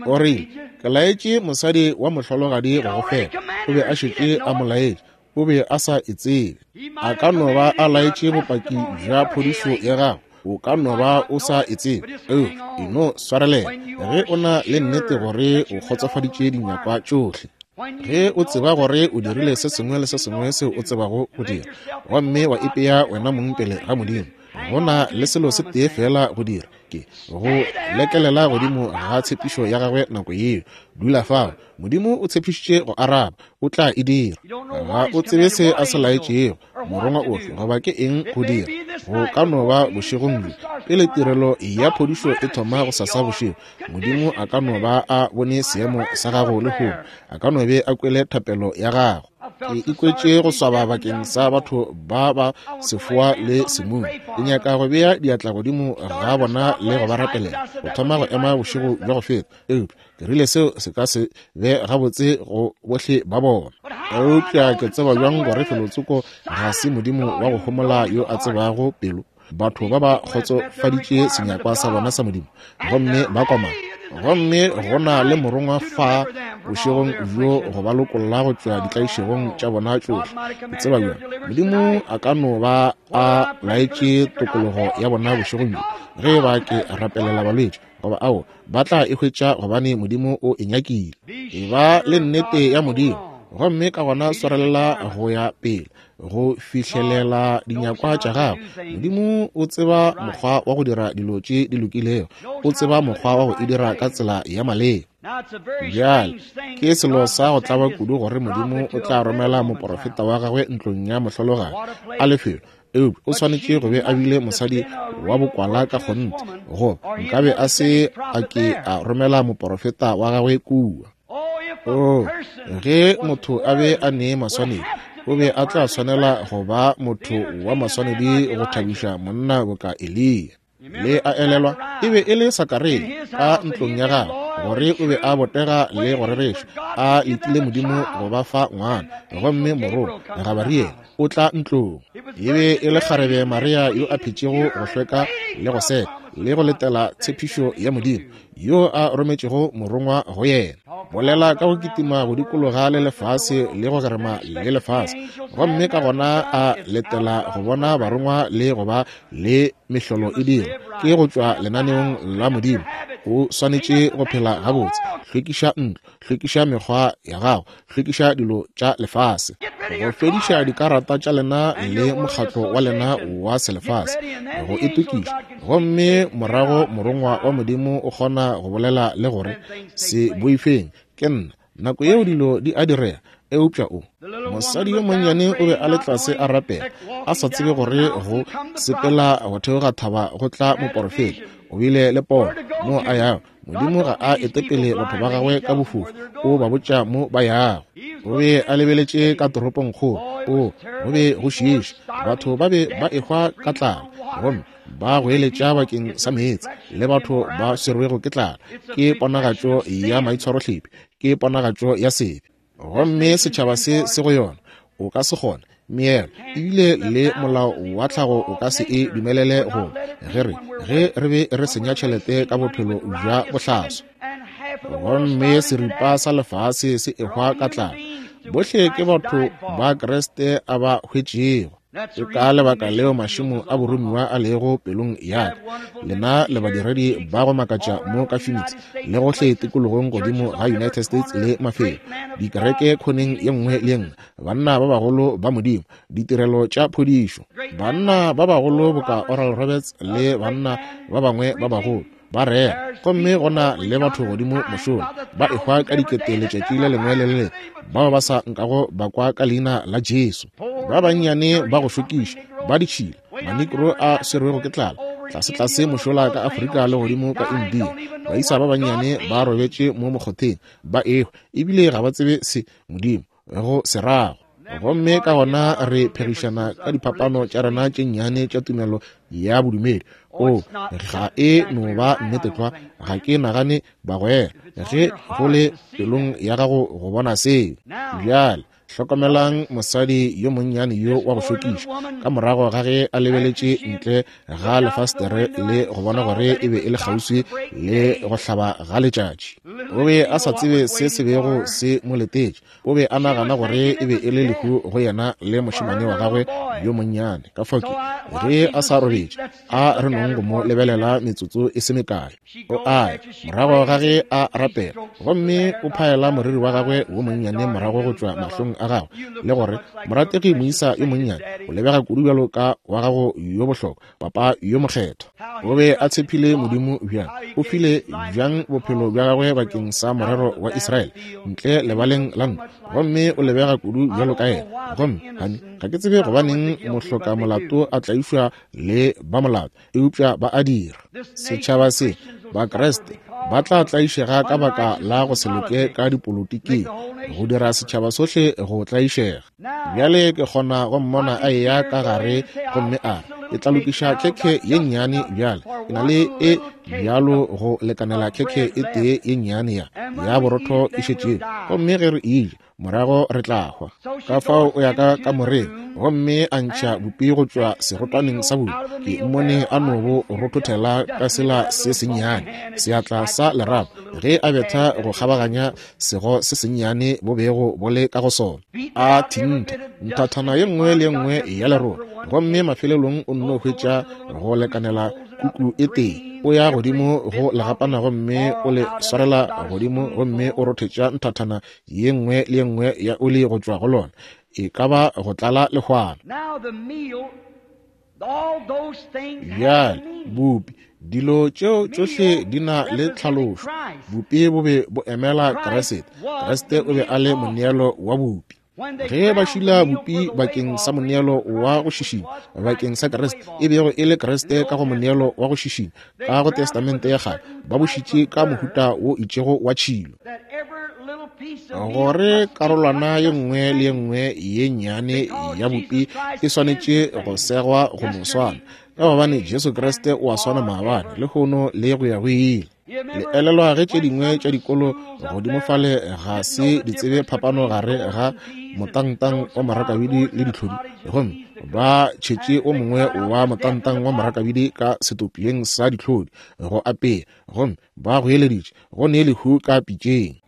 O rile, ke laetše mosadi wa mohlologadi go go fepa. O be a šetše a mo laetše. O be a sa e tsebe. A ka no ba a laetše bopaki bja phodišo ya gagwe. O ka no ba o sa e tsebe, eupša e no swarelela ge o na le nnete gore o kgotsofaditše dinyakwa tšohle. Ge o tseba gore o dirile se sengwe le se sengwe seo o tsebago go dira, gomme wa ipea wena mong pele ga Modimo, go na le selo se tee fela go dira, ke go lekelela godimo ga tshepišo ya gagwe nako yeo. Dula fao. Modimo o tshepišitše go araba, o tla e dira. Ga o tsebe se a se laetšego, morongwa ofe goba ke eng go dira. Go ka no ba bošegong bjo, pele tirelo ya phodišo e thoma go sasa bošego, Modimo a ka no ba a bone seemo sa gago lehono, a ka no be a kwele thapelo ya gago. Ke ikwetše go swaba bakeng sa batho ba ba sefoa le semumu. Ke nyaka go bea diatla godimo ga bona le go ba rapelela. Go thoma go ema bošego bja go feta, eupša ke rile seo se ka se be gabotse go bohle ba bona. Eupša ke tseba bjang gore felotsoko ga se Modimo wa go homola yo a tsebago pelo. Batho ba ba kgotsofaditše senyakwa sa bona sa Modimo, gomme ba komana. Gomme go na le morongwa fa bošegong bjo go ba lokolla go tšwa ditlaišegong tša bona tšohle. Ke tseba bjang Modimo a ka no ba a laetše tokologo ya bona bošegong bjo ge ba ke rapelela balwetši, goba ao ba tla e hwetša gobane Modimo o e nyakile. E ba le nnete ya Modimo, gomme ka gona swarelela go ya pele go fihlelela dinyakwa tša gago. Modimo o tseba mokgwa wa go dira dilo tše di lokilego, o tseba mokgwa wa go e dira ka tsela ya maleba. Bjale ke selo sa go tlaba kudu gore Modimo o tla romela moporofeta wa gagwe ntlong ya mohlologadi a lefelo, eupša o swanetše go be a bile mosadi wa bokwala ka kgonthe, goba nkabe a se a ke a romela moporofeta wa gagwe kua. Oh, ge motho a be a ne maswanedi, o be a tla swanela go ba motho wa maswanedi go thabiša monna boka Eliya. Le a elelwa, e be e le Sakaria ka ntlong ya gagwe, gore o be a botega le go rereša, a letile Modimo go ba fa ngwana, gomme morongwa Gabariele o tla ntlong. E be e le kgarebe Maria yo a phetšego go hlweka le go seka le go letela tshepišo ya Modimo, yo a rometšego morongwa go yena. Bolela ka go kitima go dikologa le lefase le go gerema le lefase, gomme ka gona a letela go bona barongwa le go ba le mehlolo e dira. Ke go tšwa lenaneong la Modimo. O swanetše go phela gabotse. Hlwekiša ntlo, hlwekiša mekgwa ya gago, hlwekiša dilo tša lefase, go fediša dikarata tša lena le mokgatlo wa lena wa selefase, go itokiša. Gomme morago morongwa wa Modimo o kgona go bolela le gore, se boifeng, ke nna. Nako yeo dilo di a direga. Eupša o mosadi yo monnyane o be a le tlase a rapela, a sa tsebe gore go sepela go theoga thaba go tla moporofeta. O bile le pono mo a yago. Modimo ga a etepele batho ba gagwe ka bofofu, o ba botša mo ba yago. O be a lebeletše ka toropongkgolo, o go be go šiiša, batho ba be ba ehwa ka tlala, gomme ba goeletša bakeng sa meetse, le batho ba swerwego ke tlala. Ke ponagatšo ya maitshwarohlephi, ke ponagatšo ya sebe. Gomme setšhaba se se go yona, o ka se kgone meelo, ebile le molao wa tlhago o ka se e dumelele go ge re ge re be re senya tšhelete ka bophelo bja bohlaswa. Gomme seripa sa lefase se ehwa ka tlala. Bohle ke batho ba Kriste a ba hwetšego. Ke ka lebaka leo mašemo a boromiwa a lego pelong ya ka. Lena le badiredi ba go makatša mo ka Phoenix le gohle tikologong godimo ga United States le mafelo, dikereke khoneng ye nngwe le ye nngwe, banna ba bagolo ba Modimo, ditirelo tša phodišo, banna ba bagolo boka Oral Roberts le banna ba bangwe ba bagolo ba rera. Gomme go na le batho godimo mošola ba ehwa ka dikete letšatši le lengwe le le lengwe, bao ba sa nkago ba kwa ka leina la Jesu. Ba bannyane ba go šokiša, ba ditšhila, manikro a swerwego ke tlala, tlase-tlase mošola ka Afrika le godimo ka India. Baisa ba bannyane ba robetše mo mokgotheng ba ehwa, ebile ga ba tsebe se Modimo go se rago. Gomme ka gona re phegišana ka diphapano tša rena tše nnyane tša tumelo ya bodumedi. O, ga e no ba nnete tlwa, ga ke nagane bagwera, ge go le pelong ya gago go bona seo. Bjale hlokomelang mosadi yo monnyane yo wa go šokiša, ka morago ga ge a lebeletše ntle ga lefastere le go bona gore e be e le kgauswi le go hlaba ga letšatši. O be a sa tsebe se se bego se mo letetše. O be a nagana gore e be e le lehu go yena le mošemane wa gagwe yo monnyane. Ka fao ke ge a sa robetše, a re nong go mo lebelela metsotso e se mekae. O a morago ga ge a rapela, gomme o phaela moriri wa gagwe wo monnyane morago go tšwa mahlong a gagwe, le gore morategi moisa yo monnyane o lebega kudu bjalo ka wa gago yo bohlokwa, papa yo mokgethwa. O be a tshepile Modimo bjang, o file bjang bophelo bja gagwe bakeng sa morero wa Israele ntle lebaleng la ntwa, gomme o lebega kudu bjalo ka yena. Gomme hani ga ke tsebe gobaneng mohloka molato a tlaišwa le ba molato, eupša ba a dira. Setšhaba se Bakreste ba tla tlaišega ka baka la go se loke ka dipolotiking, go dira setšhaba sohle go tlaišega. Bjale ke kgona go mmona a eya ka gare gomme a re, ke tla lokiša khekhe ye nnyane bjale, ke na le e bjalo go lekanela khekhe e tee ye nnyane ya ya borotho e šetšego, gomme ge re e ja morago re tla hwa. Ka fao o ya ka kamoreng gomme a ntšha bupi go tšwa serotwaneng sa bupi. Ke mmone a no bo rothothela ka sela se sennyane, seatla sa lerapo, ge a betha go kgabaganya sego se sennyane bo bego bo le ka go sona. A thintha nthathana ye nngwe le ye nngwe ya lerole, gomme mafelelong o nno hwetša go lekanela kuku e tee. O ya godimo go legapana gomme o le swarela godimo gomme o rothetša nthathana ye nngwe le ye nngwe ya oli go tšwa go lona, e ka ba go tlala lehwana. Bjale bupi, dilo tšeo tšohle di na le tlhalošo. Bupi bo be bo emela Kriste. Kriste o be a le moneelo wa bupi. Ge ba šila bupi bakeng sa moneelo wa go šišinya bakeng sa Kriste, e bego e le Kriste ka go moneelo wa go šišinya ka go Testamente ya kgale, ba bo šitše ka mohuta wo itšego wa tšhilo, gore karolwana ye nngwe le ye nngwe ye nnyane ya bupi e swanetše go segwa go no swana, ka gobane Jesu Kriste o a swana maabane, lehono le go ya go ile. Le elelwa ge tše dingwe tša dikolo godimo fale ga se di tsebe phapano gare ga motangtang wa marakabidi le ditlhodi, gomme ba tšhetše o mongwe wa motangtang wa marakabidi ka setopeng sa ditlhodi go apea, gomme ba goeleditše go ne lehu ka pitšeng.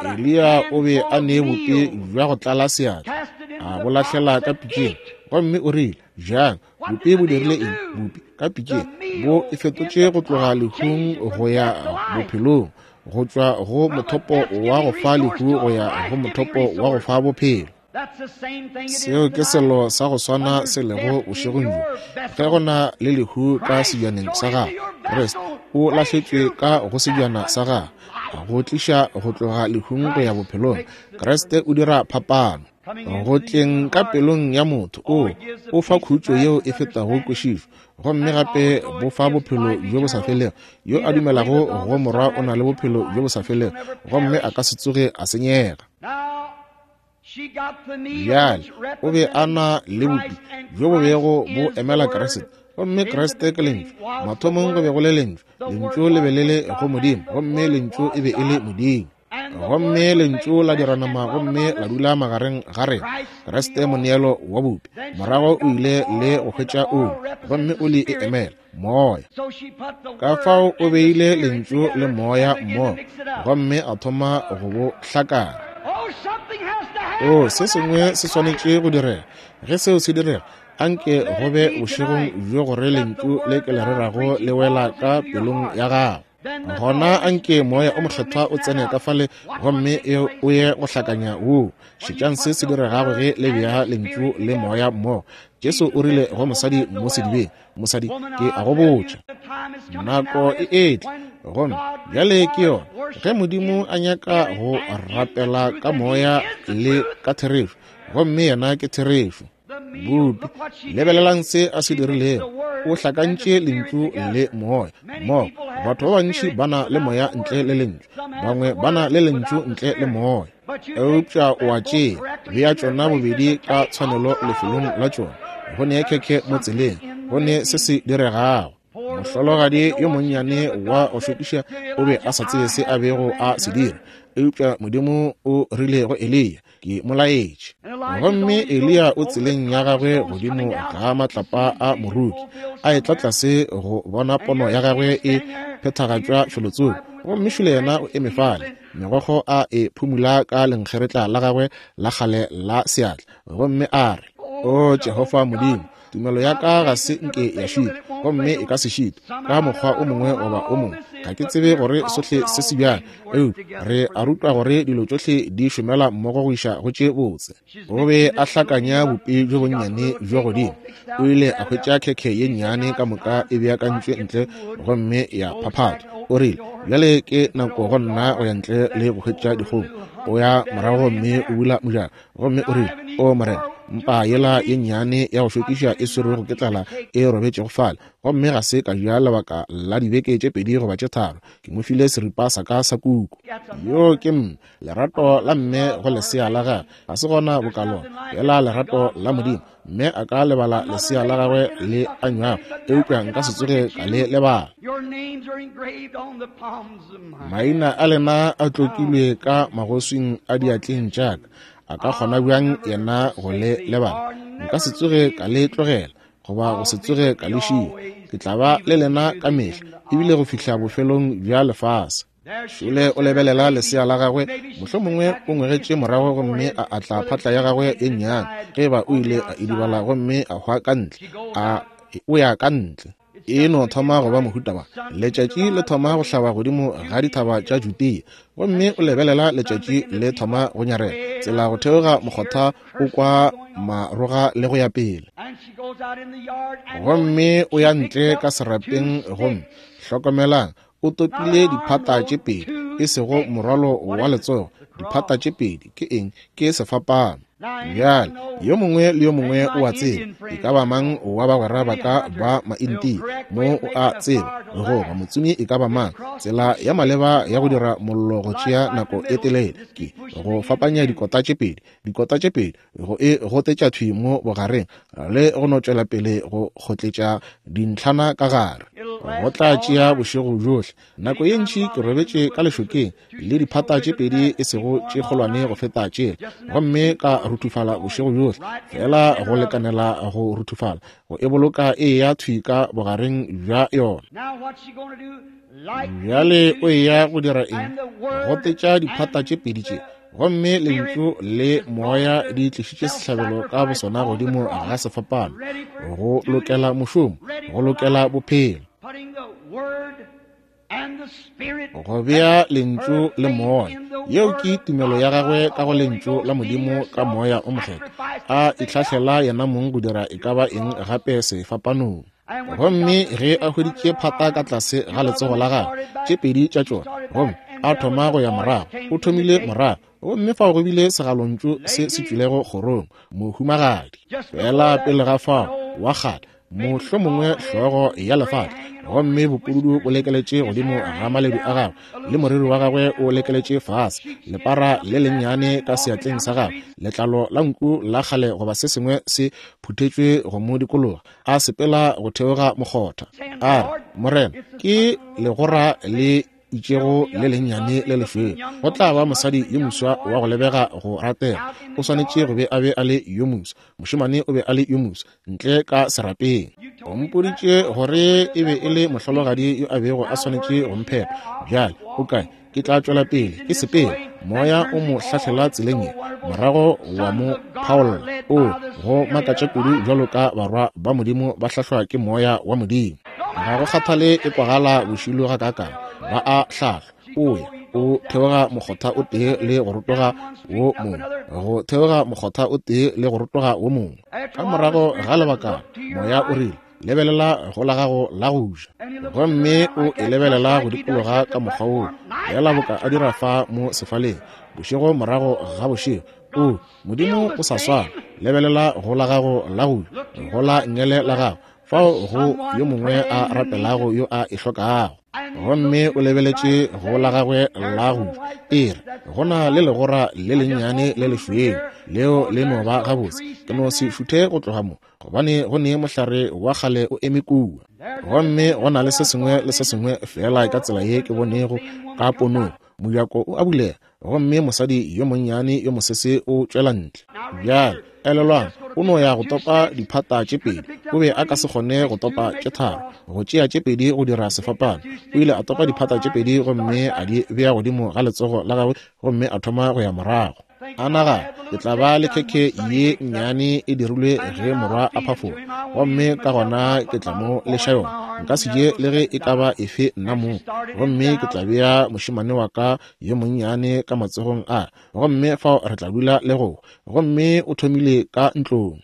Eliya o be a ne bupi bja go tlala seatla, a bo lahlela ka pitšeng, gomme o rile, jang bupi bo dirile eng? Bupi ka pitšeng bo e fetotše go tloga lehung go ya bophelong, go tšwa go mothopo wa go fa lehu go ya go mothopo wa go fa bophelo. Seo ke selo sa go swana se lego bošegong bjo. Ge go na le lehu ka sebjaneng sa gago, Kriste o lahletšwe ka go sebjana sa gago, go tliša go tloga lehung go ya bophelong. Kriste o dira phapano go tleng ka pelong ya motho. O o fa khutšo yeo e fetago kwešišo, gomme gape bo fa bophelo bjo bo sa felego. Yo a dumelago go Morwa o na le bophelo bjo bo sa felego, gomme a ka se tsoge a senyega. Bjale o be a na le bupi bjo bo bego bo emela Kriste, gomme Kriste ke Lentšu. Mathomong go be go le Lentšu, Lentšu le be le le go Modimo, gomme Lentšu e be e le Modimo. Gomme Lentšu la dira nama gomme la dula magareng ga rena. Kriste moneelo wa bupi. Morago o ile le go hwetša oli, gomme oli e emela moya. Ka fao o beile Lentšu le moya mmogo, gomme a thoma go bo hlakana. O, se sengwe se swanetše go direga. Ge seo se direga, anke go be bošegong bjo gore Lentšu le ke le rerago le wela ka pelong ya gago. Gona anke moya o mokgethwa o tsene ka fale gomme o ye go hlakanya woo. Šetšang se se diregago ge le bea Lentšu le moya mmogo. Jesu o rile go mosadi mo sedibeng, mosadi, ke a go botša, nako e etla, gomme bjale ke yona, ge Modimo a nyaka go rapela ka moya le ka therešo, gomme yena ke therešo. Bupi, lebelelang se a se dirilego. O hlakantše Lentšu le moya mmogo. Batho ba bantši ba na le moya ntle le Lentšu, bangwe ba na le Lentšu ntle le moya. Eupša o a tšea Bea tšona bobedi ka tshwanelo lefelong la tšona. Go ne khekhe mo tseleng, go ne se se diregago. Mohlologadi yo monnyane wa go šokiša o be a sa tsebe se a bego a se dira, eupša Modimo o rile go Eliya, ke mo laetše. Gomme Eliya o tseleng ya gagwe godimo ga matlapa a moruki, a etla tlase go bona pono ya gagwe e phethagatšwa felotsoko. Gomme šole yena o eme fale, megokgo a e phumula ka lenkgeretla la gagwe la kgale la seatla, gomme a re, O Jehofa Modimo, tumelo ya ka ga se nke ya šitwa, gomme e ka se šitwe ka mokgwa o mongwe goba o mongwe. Ga ke tsebe gore sohle se se bjang, eupša re a rutwa gore dilo tšohle di šomela mmogo go iša go tše botse. O be a hlakanya bupi bjo bonnyane bjo godimo. O ile a hwetša khekhe ye nnyane ka moka e beakantšwe ntle gomme ya phaphatha. O rile, bjale ke nako go nna go ya ntle le go hwetša dikgomo. O ya morago gomme o bula mojako, gomme o rile, O Morena, mpa yela ye nnyane ya go šokiša e swerwego ke tlala e robetšego fale, gomme ga se ka ja lebaka la dibeke tše pedi goba tše tharo. Ke mo file seripa sa ka sa kuku. Yo ke mme, lerato la mme go lesea la gagwe ga se gona bokalona, fela lerato la Modimo. Mme a ka lebala lesea la gagwe le anywago, eupša nka se tsoge ka le lebala. Maina a lena a tlokilwe ka magoswing a diatleng tša ka. A ka kgona bjang yena go le lebala? Nka se tsoge ka le tlogela, goba go se tsoge ka le šia. Ke tla ba le lena ka mehla, ebile go fihla bofelong bja lefase. Šole o lebelela lesea la gagwe, mohlomongwe o ngwegetše morago gomme a atla phatla ya gagwe ye nnyane, ge ba o ile a idibala gomme a hwa ka ntle, a o ya ka ntle. E no thoma go ba mohuta wa letšatši le thoma go hlaba godimo ga dithaba tša Judea, gomme o lebelela letšatši le thoma go nyarela tsela go theoga mokgotha o kwa maroga le go ya pele. Gomme o ya ntle ka serapeng, gomme hlokomelang, o topile diphata tše pedi, e sego morwalo wa letsogo. Diphata tše pedi ke eng? Ke sefapano. Bjale yo mongwe le yo mongwe o a tseba, e ka ba mang wa bagwera ba ka ba maintia mo o a tseba, goba motsomi e ka ba mang, tsela ya maleba ya go dira mollo go tšea nako e telele ke go fapanya dikota tše pedi, dikota tše pedi go e gotetša thwi mo bogareng le go no tšwela pele go kgotletša dintlhana ka gare. Go tla tšea bošego bjohle. Nako ye ntši ke robetše ka lešokeng le diphata tše pedi e sego tše kgolwane go feta tšela, gomme ka ruthufala bošego bjohle, fela go lekanela go ruthufala, go e boloka e ya thwi ka bogareng bja yona. Bjale o ya go dira eng? Gotetša diphata tše pedi tše, gomme lentšu le moya di tlišitše sehlabelo ka bosona godimo ga sefapano, go lokela mošomo, go lokela bophelo. Go bea lentšu le moya, yeo ke tumelo ya gagwe ka go lentšu la Modimo ka moya o mokgethwa, a itlhahlela yena mong go dira e ka ba eng gape sefapanong. Gomme ge a hweditše phata ka tlase ga letsogo la gagwe, tše pedi tša tšona, gomme a thoma go ya morago, o thomile morago, gomme fao go bile segalontšu se se tšwilego kgorong, mohumagadi. Fela pele ga fao wa kgale, mohlomongwe hlogo ya lefatla, gomme bopududu bo lekeletše godimo ga maledu a gagwe, le moriri wa gagwe o lekeletše fase, lepara le lennyane ka seatleng sa gagwe, letlalo la nku la kgale goba se sengwe se phuthetšwe go mo dikologa, a sepela go theoga mokgotha. A re, Morena, ke legora le itšego le lennyane le lešweu, go tla ba mosadi yo moswa wa go lebega go ratega. O swanetše go be a be a le yo moswa, mošemane o be a le yo moswa ntle ka serapeng. O mpoditše gore e be e le mohlologadi yo a bego a swanetše go mphepa. Bjale o kae? Ke tla tšwela pele ke sepela. Moya o mo hlahlela tseleng ye, morago wa mo phaolla. O go makatša kudu bjalo ka barwa ba Modimo ba hlahlwa ke moya wa Modimo. Ga go kgathale e kwagala bošilo gakaakang, ba a hlahlwa. O ya o theoga mokgotha o tee le go rotoga wo mongwe, go theoga mokgotha o tee le go rotoga wo mongwe. Ka morago ga lebakana moya o rile, lebelela go la gago la go ja, gomme o e lebelela go dikologa ka mokgwa woo, fela boka a dira fa mo sefaleng bošego morago ga bošego. O Modimo o sa swana, lebelela go la gago la go ja, go la nngele la gago, fao go yo mongwe a rapelago yo a e hlokago. Gomme o lebeletše go la gagwe la go ja, e re, go na le legora le lennyane le lešweu, leo le no ba gabotse. Ke no se šuthe go tloga mo, gobane go ne mohlare wa kgale o eme kua. Gomme go na le se sengwe le se sengwe feela ka tsela ye ke bonego ka ponong. Mojako o a bulega, gomme mosadi yo monnyane yo mosese o tšwela ntle. Bjale, elelwang, o no ya go topa diphata tše pedi. O be a ka se kgone go topa tše tharo, go tšea tše pedi go dira sefapano. O ile a topa diphata tše pedi gomme a di bea godimo ga letsogo la gagwe, gomme a thoma go ya morago. A nagana, ke tla ba le khekhe ye nnyane e dirilwe ge morwa a phafoga, gomme ka gona ke tla mo leša yona. Nka se je le ge e ka ba efe nna mong, gomme ke tla bea mošemane wa ka yo monnyane ka matsogong a, gomme fao re tla dula le go. Gomme o thomile ka ntlong.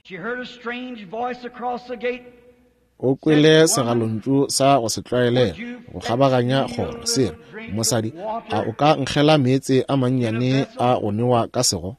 O kwele segalontšu sa go se tlwaelege go kgabaganya kgoro se re, mosadi, a o ka nkgela meetse a mannyane a go newa ka sego?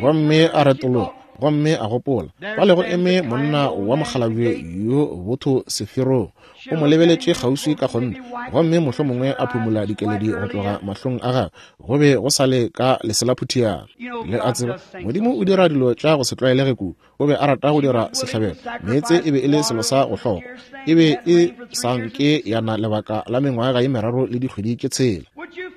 Gomme a retologa, gomme a gopola, fale go eme monna wa mokgalabje yo botho seferong. O mo lebeletše kgauswi ka kgonthe, gomme mohlomongwe a phumula dikeledi go tloga mahlong a gagwe. Go be go sa le ka leselaphutiana. Le a tseba, Modimo o dira dilo tša go se tlwaelege kudu. O be a rata go dira sehlabelo. Meetse e be e le selo sa go hlokwa. E be e sa nke ya na lebaka la mengwaga ye meraro le dikgwedi tše tshela.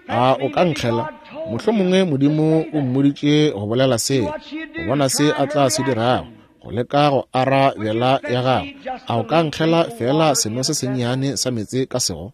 A o ka nkgela? Mohlomongwe Modimo o mmoditše go bolela seo, go bona se a tla se dirago, go leka go arabela ya gagwe. A o ka nkgela feela seno se sennyane sa meetse ka sego?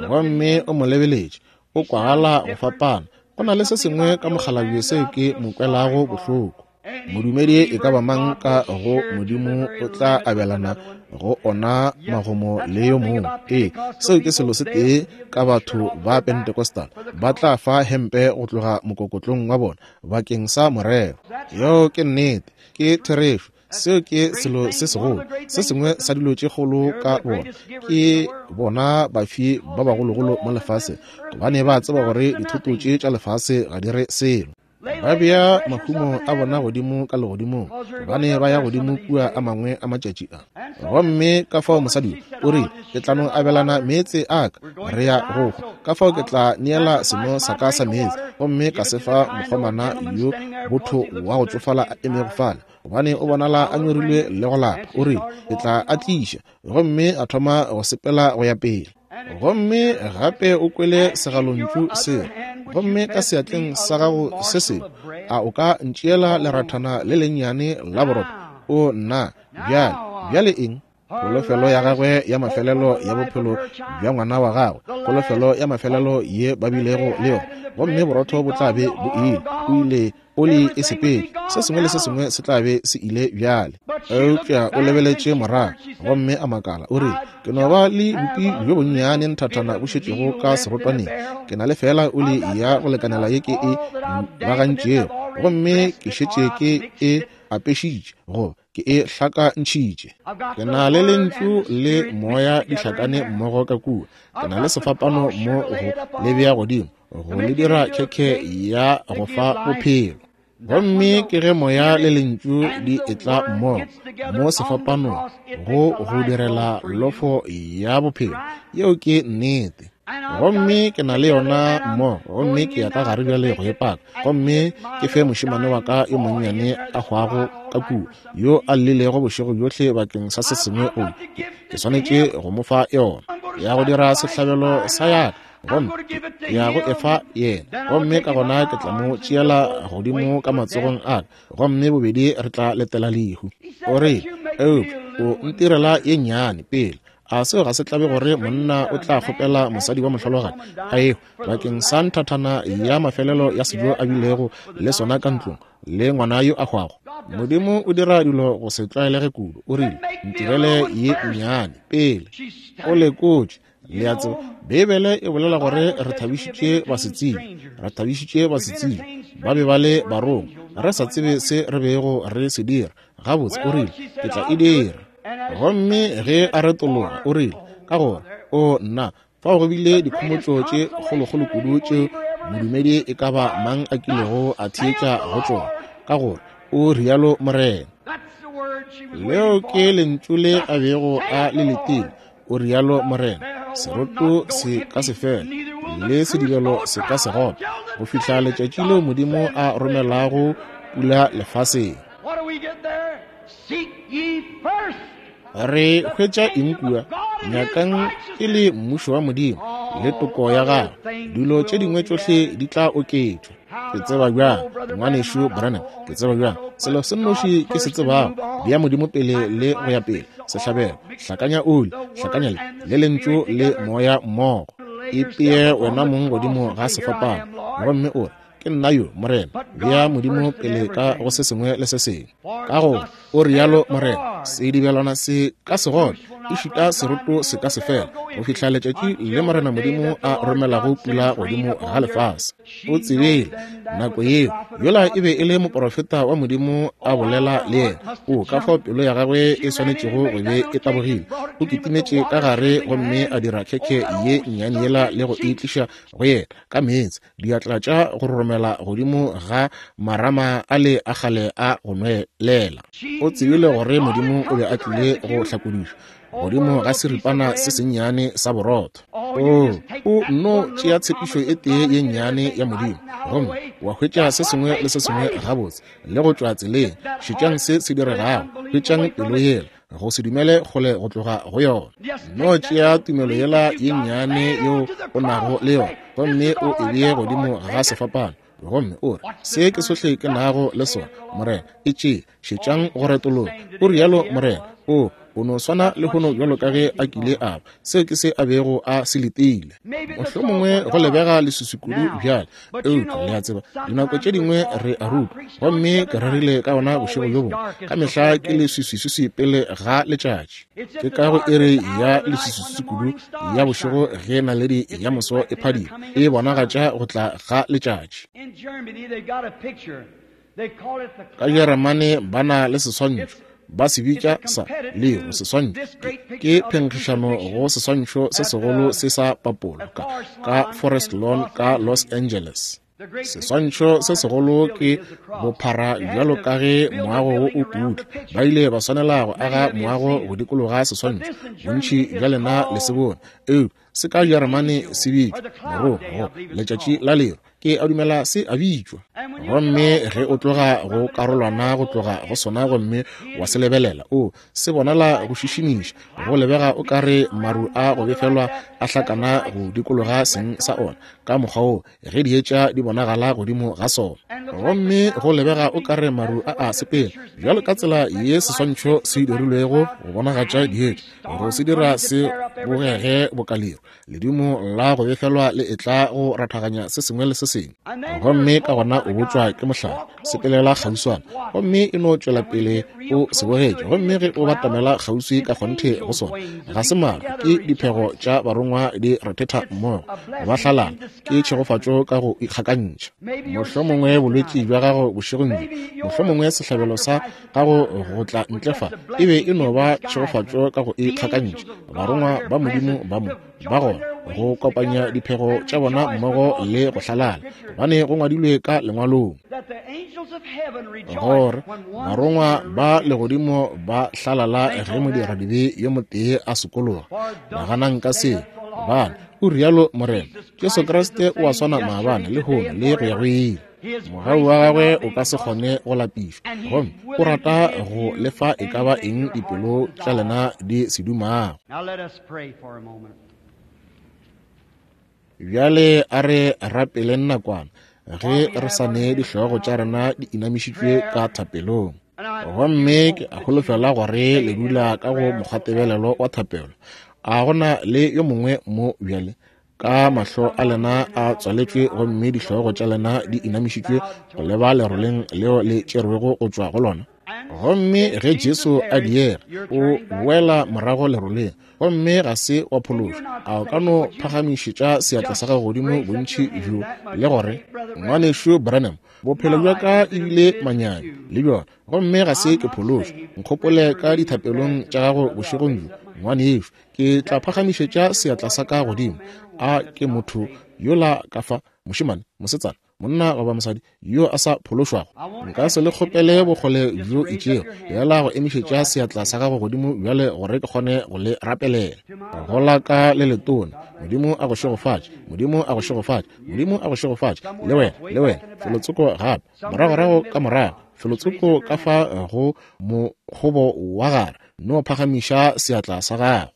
Gomme o mo lebeletše, o kwagala go fapana. Go na le se sengwe ka mokgalabje seo ke mo kwelago bohloko. Modumedi e ka ba mang ka go Modimo o tla abelana go ona magomo le yo mongwe. Ee, seo ke selo se tee ka batho ba Pentecostal. Ba tla fa hempe go tloga mokokotlong wa bona bakeng sa morero. Yeo ke nnete, ke therešo. Seo ke selo se segolo. Se sengwe sa dilo tše kgolo ka bona ke bona bafi ba bagologolo mo lefaseng, gobane ba tseba gore dithoto tše tša lefase ga di re selo. Ba bea mahumo a bona godimo ka legodimong, gobane ba ya godimo kua a mangwe a matšatši a. Gomme ka fao mosadi o rile, ke tla no abelana meetse a ka, re ya go hwa. Ka fao ke tla neela seno sa ka sa meetse, gomme ka se fa mokgomana yo botho wa go tšofala a emego fale, gobane o bonala a nyorilwe le go lapa. O rile, ke tla a tliša. Gomme a thoma go sepela go ya pele. Gomme gape o kwele segalontšu se, gomme ka seatleng sa gago se sengwe, a o ka ntšeela lerathana le lennyane la borotho? O nna, bjale, bjale eng? Kholofelo ya gagwe ya mafelelo ya bophelo bja ngwana wa gagwe, kholofelo ya mafelelo ye ba bilego le yona, gomme borotho bo tla be bo ile, o ile, oli e sepetše, se sengwe le se sengwe se tla be se ile bjale. Eupša o lebeletše morago, gomme a makala, o rile, ke no ba le bupi bjo bonnyane nthathana bo šetšego ka serotwaneng. Ke na le feela oli ya go lekanela ye ke e bagantšego, gomme ke šetše ke e apešitše, goba ke e hlakantšhitše. Ke na le lentšu le moya di hlakane mmogo ka kua. Ke na le sefapano mo go le bea godimo, go le dira khekhe ya go fa bophelo. Gomme ke ge moya le lentšu di etla mmogo mo sefapanong go go direla lofo ya bophelo. Yeo ke nnete. Gomme ke na le yona mmogo, gomme ke ya ka gare bjale go e paka, gomme ke fe mošemane wa ka yo monnyane a hwago ka kua, yo a llilego bošego bjohle bakeng sa se sengwe. O ke swanetše go mo fa yona ya go dira sehlabelo sa yaka, gomme ke ya go efa yena, gomme ka gona ke tla mo tšeela godimo ka matsogong a ka, gomme bobedi re tla letela lehu. O re, eupša o ntirela ye nnyane pele. A seo ga se tlabe gore monna o tla kgopela mosadi wa mohlologadi a ehwa bakeng sa nthathana ya mafelelo ya sejo a bilego le sona ka ntlong le ngwana yo a hwago? Modimo o dira dilo go se tlwaelege kudu. O rile, ntirele ye nnyane pele. O lekotše. Le a tseba, Beibele e bolela gore re thabišitše basetsebje, re thabišitše basetsebje, ba be ba le barongwa, re sa tsebe se re bego re se dira. Gabotse, o rile, ke tla e dira. Gomme ge a retologa, o rile, ka gore, o nna, fao go bile dikhomotšo tše kgolokgolo kudu tšeo modumedi e ka ba mang a kilego a theetša go tšona, ka gore o rialo Morena. Leo ke lentšu le a bego a le letile, o rialo Morena. Seroto se ka se fela, le sedibelo se ka se gope, go fihla letšatši leo Modimo a romelago pula lefaseng. Re hwetša eng kua? Nyakang e le mmušo wa Modimo le toko ya gagwe, dilo tše dingwe tšohle di tla oketšwa. Ke tseba bjang, ngwanešu Branham, ke tseba bjang? Selo se nnoši ke se tsebago, bea Modimo pele le go ya pele. Sehlabelo, hlakanya oli, hlakanya le, le lentšu le moya mmogo. Ipee wena mong godimo ga sefapano, gomme o re, ke nna yo, Morena. Bea Modimo pele ka go se sengwe le se sengwe. Ka gore o rialo Morena, sedibelwana se ka se gope, ešita seroto se ka se fela, go fihla letšatši le Morena Modimo a romelago pula godimo ga lefase. O tsebile nako yeo, yola e be e le moprofeta wa Modimo a bolela le yena. O ka fao pelo ya gagwe e swanetšego go be e tabogile. O kitimetše ka gare gomme a dira khekhe ye nnyane yela le go e tliša go yena ka meetse, diatla tša go romela godimo ga marama a le a kgale a go nwelela. O tsebile gore Modimo o be a tlile go hlakodišwa godimo ga seripana se sennyane sa borotho. O, o nno tšea tshepišo e tee ye nnyane ya Modimo, gomme wa hwetša se sengwe le se sengwe gabotse le go tšwa tseleng. Šetšang se se diregago, hwetšang pelo yela, go se dumele kgole go tloga go yona. No tšea tumelo yela ye nnyane yeo o nago le yona, gomme o e bee godimo ga sefapano, gomme o re, se ke sohle ke nago le sona, Morena, e tšee. Šetšang go retologa, o rialo Morena. O, o no swana le hono bjalo ka ge a kile a ba. Seo ke se a bego a se letile. Mohlomongwe go lebega leswiswi kudu bjale, eupša le a tseba, dinako tše dingwe re a rutwa, gomme ke rerile ka ona bošego bjo bongwe. Ka mehla ke leswiswiswiswi pele ga letšatši. Ke ka go iri ya leswiswiswi kudu ya bošego ge naledi ya moso e phadima, e bonagatša go tla ga letšatši. Ka Jeremane ba na le seswantšho, ba se bitša sa lero seswantšho. Ke phenkgišano go seswantšho se segolo se sa papolo ka, ka Forest Lawn ka Los Angeles. Seswantšho se segolo ke bophara bjalo ka ge moago wo o putla. Ba ile ba swanela go aga moago go dikologa seswantšho. Bontši bja lena le se bone, eupša se ka Jeremane se bitšwa morogo, letšatši la lero. Ke a dumela se a bitšwa. Gomme ge o tloga go karolwana go tloga go sona gomme wa se lebelela, o se bonala go šišimiša, go lebega o ka re maru a go befelwa a hlakana go dikologa seng sa ona ka mokgwa wo ge dietša di bonagala godimo ga sona. Gomme go lebega o ka re maru a a sepela bjalo ka tsela ye seswantšho se dirilwego go bonagatša dietša, go se dira se bogege bokalero. Ledimo la go befelwa le etla go rathaganya se sengwe le se sengwe, gomme ka gona o botšwa ke mohlare, sepelela kgauswana, gomme e no tšwela pele o se bogetše. Gomme ge o batamela kgauswi ka kgonthe go sona, ga se maru, ke diphego tša barongwa di rethetha mmogo, ba hlalana, ke tšhegofatšo ka go ikgakantšha. Mohlomongwe bolwetši bja gago bošegong bjo, mohlomongwe sehlabelo sa gago go tla ntle fa e be e no ba tšhegofatšo ka go ikgakantšha. Barongwa ba Modimo ba mo ba gona go kopanya diphego tša bona mmogo le go hlalala, gobane go ngwadilwe ka lengwalong gore barongwa ba legodimo ba hlalala ge modiradibe yo motee a sokologa. Naganang ka seo, gobane o rialo Morena. Jesu Kriste o a swana maabane, lehono le go ya go ile. Mogau wa gagwe o ka se kgone go lapišwa, gomme o rata go lefa e ka ba eng dipelo tša lena di se dumago. Bjale a re rapeleng nakwana ge re sa ne dihlogo tša rena di inamišitšwe ka thapelong. Gomme ke a holofela gore le dula ka go mokgwatebelelo wa thapelo. A gona le yo mongwe mo bjale ka mahlo a lena a tswaletšwe gomme dihlogo tša lena di inamišitšwe go leba leroleng leo le tšerwego go tšwa go lona. Gomme ge Jesu a diega, o boela morago leroleng, gomme ga se wa phološwa. A o ka no phagamišetša seatla sa gago godimo bontši bjo le gore, ngwanešu Branham, bophelo bja ka ebile manyami le bjona, gomme ga se ke phološwa. Nkgopole ka dithapelong tša gago bošegong bjo, ngwanešu. Ke tla phagamišetša seatla sa ka godimo. A ke motho yola ka fa, mošemane, mosetsana, monna goba mosadi yo a sa phološwago? Nka se le kgopele bokgole bjo itšego, yela go emišetša seatla sa gago godimo bjale gore ke kgone go le rapelela. Go la ka le letona, Modimo a go šegofatše, Modimo a go šegofatše, Modimo a go šegofatše, le wena, le wena, felotsoko gape, moragorago ka morago, felotsoko ka fa go mokgobo wa gare, no phagamiša seatla sa gago.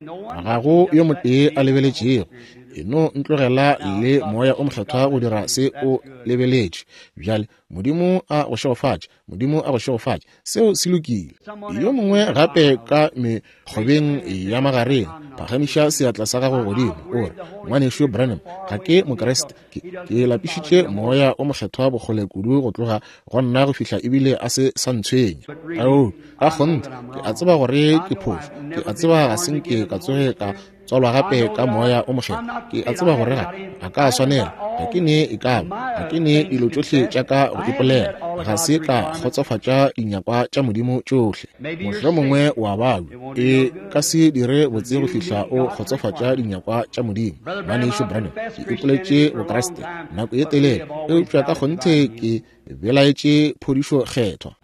Ga go yo motee a lebeletšego, e no ntlogela le Moya o Mokgethwa go dira se o lebeletše. Bjale Modimo a go šegofatše, Modimo a go šegofatše, seo se lokile. Yo mongwe gape ka mekgobeng ya magareng, phagamiša seatla sa gago godimo, o re, Ngwanešu Branham, ga ke Mokriste, ke, ke lapišitše Moya o Mokgethwa bokgole kudu go tloga go nna go fihla ebile a se sa ntshwenya. Ao, ka kgonthe, ke a tseba gore ke phošo, ke a tseba ga se nke ka tsoge ka tswalwa gape ka Moya o Mokgethwa, ke a tseba gore ga ga ka swanela, ga ke ne e kaba, ga ke ne dilo tšohle tša ka go ipolela, ga se ka kgotsofatša dinyakwa tša Modimo tšohle. Mohlomongwe wa babja, e ka se dire botse go fihla o kgotsofatša dinyakwa tša Modimo. Ngwanešu Branham, ke ipoletše Bokriste nako ye telele, eupša ka kgonthe ke belaetše phodišo kgethwa.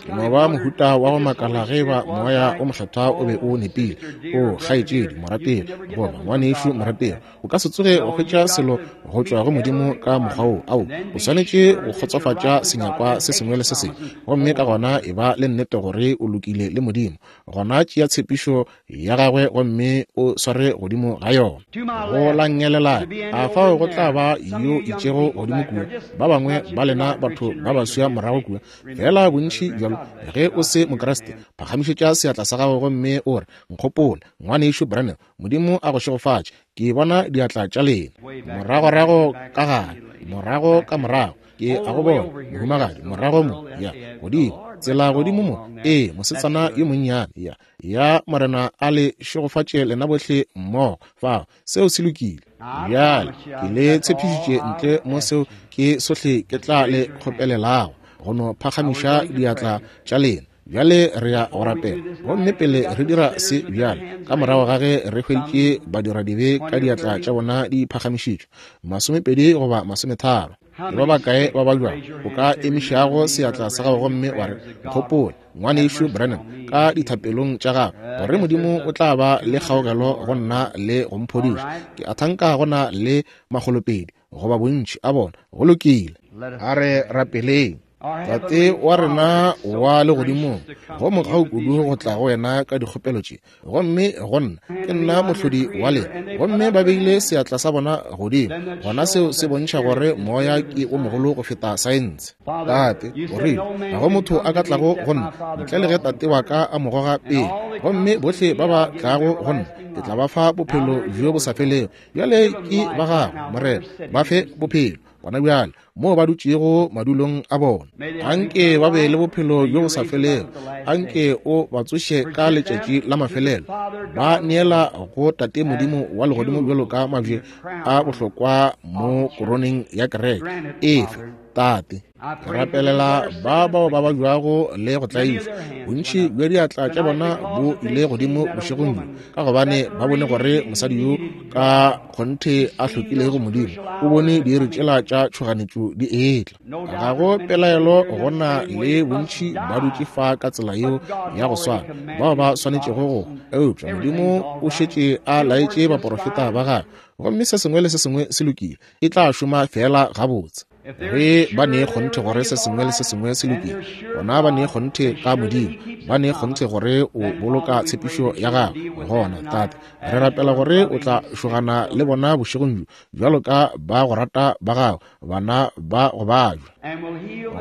Ke no ba mohuta wa go makala ge ba Moya o Mokgethwa o be o nepile. O kgaetšedi morategi goba ngwanešu morategi, o ka se tsoge o hwetša selo go tšwa go Modimo ka mokgwa wo. Ao, o swanetše go kgotsofatša senyakwa se sengwe le se sengwe, gomme ka gona e ba le nnete gore o lokile le Modimo. Gona tšea tshepišo ya gagwe gomme o sware godimo ga yona. Go la ngelela, a fao go tla ba yo itšego godimo kua, ba bangwe ba lena batho ba baswa morago kua, fela bontši bjalo. Ge o se Mokriste, phagamišetša seatla sa gago gomme o re, nkgopole, ngwanešu Branham, Modimo a go šegofatše, ke bona diatla tša lena. Moragorago ka gare, morago ka morago, ke a go bona, mohumagadi, morago mo, ya, godimo, tsela godimo mo, ee, mosetsana yo monnyane, ya, ya, Morena a le šegofatše lena bohle mmogo, fao, seo se lokile. Bjale, ke le tshepišitše ntle mo seo ke sohle ke tla le kgopelelago, go no phagamiša diatla tša lena. Bjale re ya go rapela, gomme pele re dira se bjale, ka morago ga ge re hweditše badiradibe ka diatla tša bona di phagamišitšwe, masomepedi goba masometharo, ke ba bakae ba babjago o ka emišago seatla sa gago gomme wa re, nkgopole, ngwanešu Branham, ka dithapelong tša gago, gore Modimo o tla ba le kgaogelo go nna le go mphodiša. Ke a thanka go na le makgolopedi goba bontši a bona. Go lokile, a re rapeleng. Tate wa rena wa legodimong, go mogau kudu go tla go wena ka dikgopelo tše, gomme go nna ke nna mohlodi wa lena, gomme ba beile seatla sa bona godimo, gona seo se bontšha gore moya ke o mogolo go feta saense. Tate, o rile, ga go motho a ka tlago go nna ntle le ge Tate wa ka a mo goga pele, gomme bohle ba ba tlago go nna ke tla ba fa bophelo bjo bo sa felego. Bjale ke ba gago, Morena, ba fe bophelo gona bjale moo ba dutšego madulong a bona. Anke ba be le bophelo bjo bo sa felego, anke o ba tsoše ka letšatši la mafelelo, ba neela go Tate Modimo wa legodimo bjalo ka mabje a bohlokwa mo koroneng ya kereke. Efe, Tate, ke rapelela ba bao ba babjago le go tlaišwa. Bontši bja diatla tša bona bo ile godimo bošegong bjo, ka gobane ba bone gore mosadi yo ka kgonthe a hlokilego Modimo o bone diiri tšela tša tšhoganetšo di etla. Ga go pelaelo go na le bontši ba dutše fa ka tsela yeo ya go swana, bao ba swanetšego go, eupša Modimo o šetše a laetše baporofeta ba gagwe, gomme se sengwe le se sengwe se lokile, e tla šoma fela gabotse. Ge ba ne kgonthe gore se sengwe le se sengwe se lokile, gona ba ne kgonthe ka Modimo, ba ne kgonthe gore o boloka tshepišo ya gagwe. Gona Tate, re rapela gore o tla šogana le bona bošegong bjo bjalo ka ba go rata ba gago, bana ba go babja,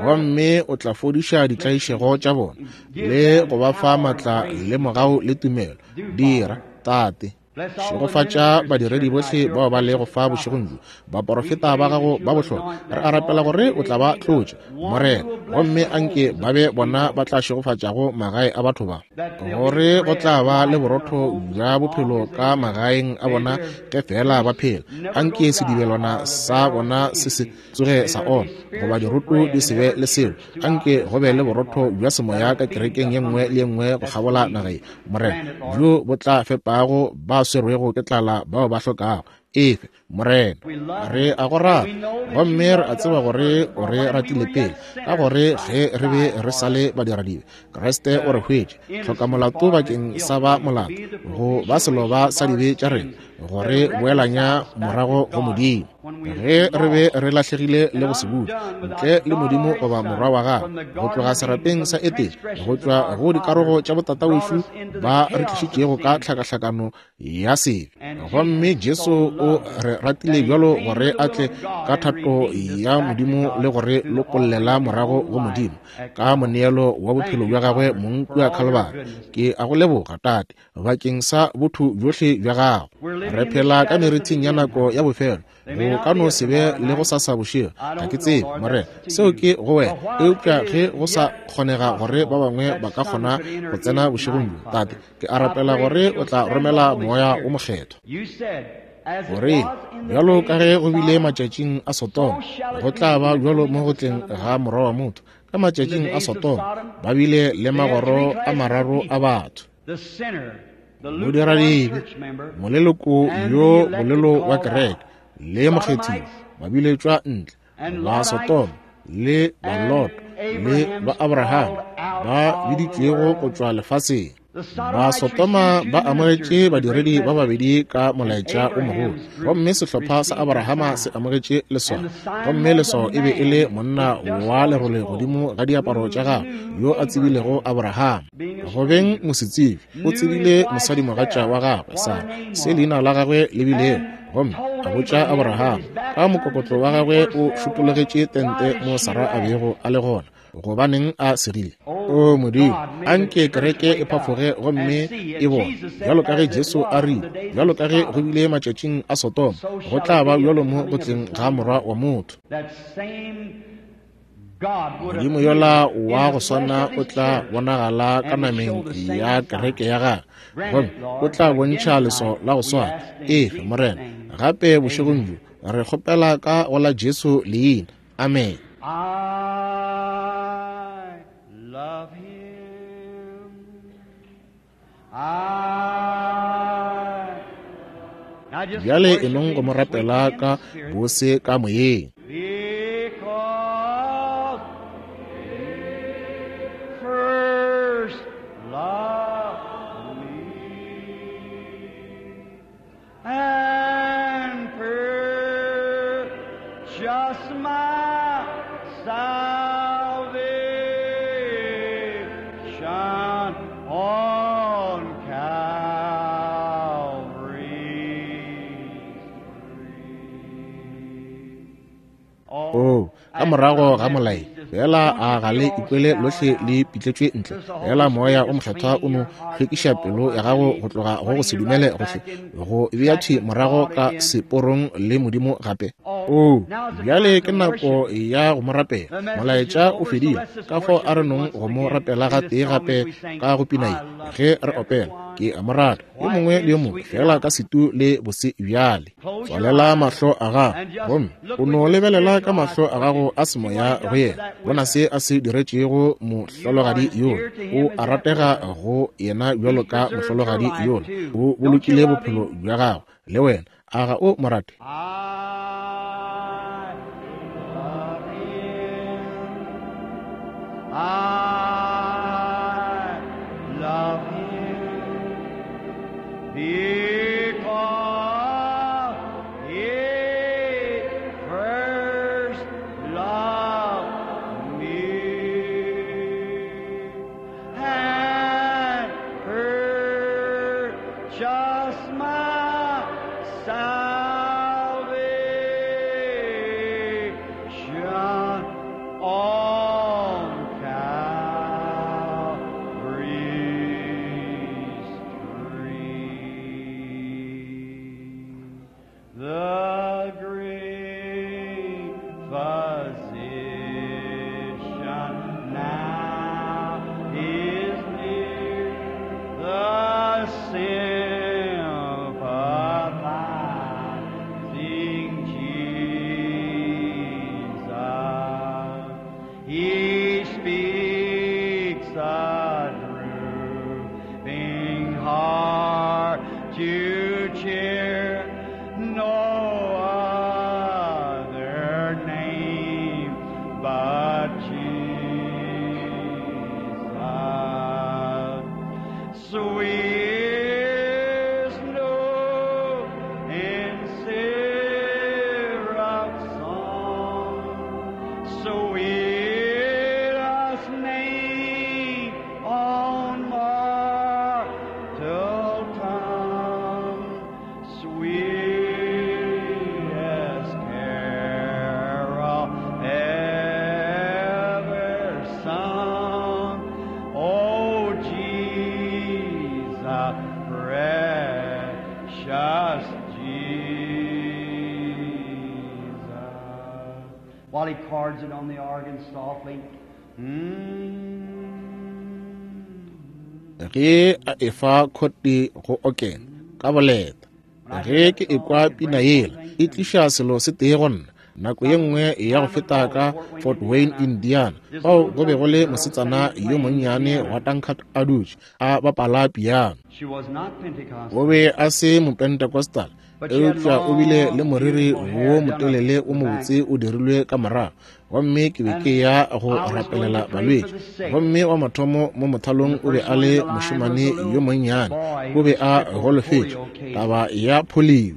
gomme o tla fodiša ditlaišego tša bona le go ba fa maatla le mogau le tumelo. Dira, Tate. Šegofatša badiredi bohle bao ba lego fa bošegong bjo, baporofeta ba gago ba bohlokwa. Re a rapela gore o tla ba tlotša, Morena, gomme anke ba be bona ba tla šegofatšago magae a batho ba, gore go tla ba le borotho bja bophelo ka magaeng a bona ge fela ba phela. Anke sedibelwana sa bona se se tsoge sa oma, goba diroto di se be le selo. Anke go be le borotho bja semoya ka kerekeng ye nngwe le ye nngwe go kgabola naga ye, Morena, bjo bo tla fepago ba swerwego ke tlala bao ba hlokago. Efe, Morena, re a go rata, gomme re a tseba gore o re ratile pele, ka gore ge re be re sa le badiradibe, Kriste o re hwetše, tlhokamolato bakeng sa ba molato, go ba seloba sa dibe tša rena, gore boelanya morago go Modimo. Ge re be re lahlegile le go se butše, ntle le Modimo goba morwa wa gagwe, go tloga serapeng sa Etene, go tšwa go dikarogo tša botatawešu ba re tlišitšego ka tlhakahlakano ya sebe. Gomme Jesu o re ratile bjalo gore a tle ka thato ya Modimo le gore lokollela morago go Modimo ka moneelo wa bophelo bja gagwe mong kua Khalibari. Ke a go leboga, Tate, bakeng sa botho bjohle bja gago. Re phela ka merithing ya nako ya bofelo. Go ka no se be le go sasa bošego, ga ke tsebe, Morena, seo ke go wena. Eupša ge go sa kgonega gore ba bangwe ba ka kgona go tsena bošegong bjo, Tate, ke a rapela gore o tla romela Moya o Mokgethwa. Gore bjalo ka ge go bile matšatšing a Sodoma, go tla ba bjalo mo go tleng ga Morwa wa motho. Ka matšatšing a Sodoma ba bile le magoro a mararo a batho: modiradibe, moleloko yo bolelo wa kereke, le mokgethiwa, ba biletšwa ntle. Ba Sodoma le ba Lot le ba Abraham ba biditšwego go tšwa lefaseng. Ba Sodoma ba amogetše badiredi ba babedi ka molaetša o mogolo, gomme sehlopha sa Abrahama se amogetše leswao, gomme leswao e be e le monna wa lerole godimo ga diaparo tša gagwe yo a tsebilego Abrahama. Go beng mosetsebi, o tsebile mosadimogatša wa gagwe Sara, se leina la gagwe le bilego, gomme a botša Abrahama ka mokokotlo wa gagwe o šupologetše tente mo Sara a bego a le gona. Gobaneng a segile? O Modimo, anke kereke e phafoge gomme e bone, bjalo ka ge Jesu a rile, bjalo ka ge go bile matšatšing a Sodoma, go tla ba bjalo mo go tleng ga Morwa wa motho. Modimo yola wa go swana o tla bonagala ka nameng ya kereke ya gagwe, gomme o tla bontšha leswao la go swana. Efe, Morena, gape bošegong bjo re kgopela ka go la Jesu leina. Amen. I love him. I Now just Bjale worship e nong go him mo rapela sweetly in ka the spirit. bose ka moyeng. Because he first loved me and purchased my salvation on Calvary's tree. O ka morago ga molai fela a ga le ikwele lohle le pitletšwe ntle. Fela Moya o Mokgethwa o no hlwekiša pelo ya gago go tloga go go se dumele gohle, go bea thwi morago ka seporong le Modimo gape. O bjale ke nako ya go mo rapela. Molaetša o fedile, ka fao a re nong go mo rapela gatee gape ka go pina ye ge re opela. Ke a mo rata yo mongwe le yo mongwe, fela ka setu le bose bjale. Tswalela mahlo a gago gomme o no lebelela ka mahlo a gago a semoya go yena. Bona se a se diretšego mohlologadi yola. O a ratega go yena bjalo ka mohlologadi yola. O bolokile bophelo bja gagwe le wena. A ga o mo rate? I love him. I love him because he first loved me and purchased my salvation on Calvary's tree. The great physician now is near, the sympathizing Jesus. He speaks a drooping heart to cheer, nor Sweetest name on mortal tongue, sweetest carol ever sung. Oh, Jesus, precious Jesus. While he cards it on the organ softly. Mm. Ge a efa khote go okena ka boleta. Ge ke ekwa pina yela, e tliša selo se tee go nna. Nako ye nngwe ya go feta ka Fort Wayne, Indiana, fao go be go le mosetsana yo monnyane wa Tankard a dutše a bapala piano. She was not Pentecostal. O be a se mopentecostal, eupša o bile le moriri wo motelele wo mobotse o dirilwe ka morago. Gomme ke be ke ya go rapelela balwetši. Gomme wa mathomo mo mothalong o be a le mošemane yo monnyane, o be a golofetše taba ya polio.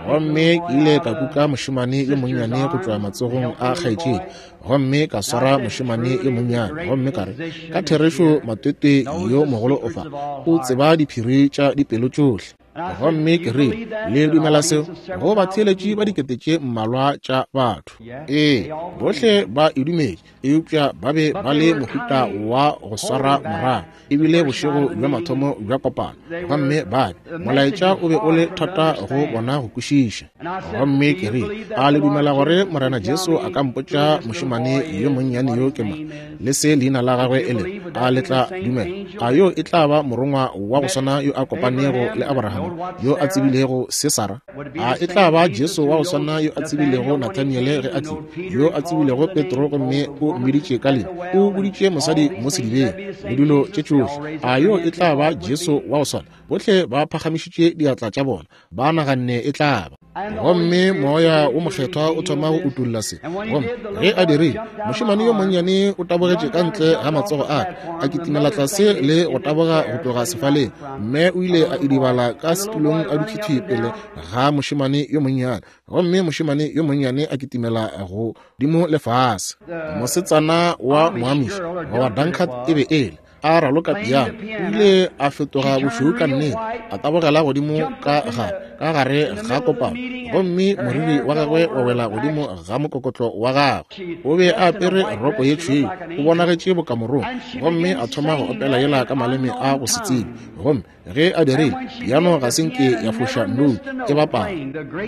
Gomme ke ile ka kuka mošemane yo monnyane go tšwa matsogong a kgaetšedi, gomme ka swara mošemane yo monnyane, gomme ka re, ka therešo matwetwe yo mogolo o fa, o tseba diphiri tša dipelo tšohle. Gomme ke rile, le dumela seo? Go batheeletši ba dikete tše mmalwa tša batho. Ee, bohle ba e dumetše, eupša ba be ba le mohuta wa go swara morago. Ebile bošego bja mathomo bja kopano, gomme ba be molaetša o be o le thata go bona go kwešiša. Gomme ke rile, a le dumela gore Morena Jesu a ka mpotša mošemane yo monnyane yo ke mang, le se leina la gagwe e lego? A le tla dumela? A yo e tla ba morongwa wa go swana yo a kopanego le Abraham, yo a tsebilego se Sara? A e tla ba Jesu wa go swana yo a tsebilego Nathaniele ge a tlile, yo a tsebilego Petro gomme o mmiditše ka leina, o boditše mosadi mo sedibeng, le dilo tše tšohle? A yo e tla ba Jesu wa go swana? Bohle ba phagamišitše diatla tša bona, ba naganne e tla ba. Gomme moya wo mokgethwa o thoma go utolla se. Gomme ge a dirile, mošemane yo monnyane o tabogetše ka ntle ga matsogo a ka, a kitimela tlase le go taboga go tloga sefaleng. Mme o ile a idibala ka setulong a dutše thwi pele ga mošemane yo monnyane, gomme mošemane yo monnyane a kitimela godimo le fase. Mosetsana wa Moamish goba Dunkard e be ele a raloka piano, o ile a fetoga bošweu ka nnete, a tabogela godimo ka gare ka gare ga kopano, gomme moriri wa gagwe wa wela godimo ga mokokotlo wa gagwe. O be a apere roko ye tšhweu, o bonagetše bokamorong, gomme a thoma go opela yela ka maleme a go se tsebe. Gomme ge a dirile, piano ga se nke ya foša note e bapala.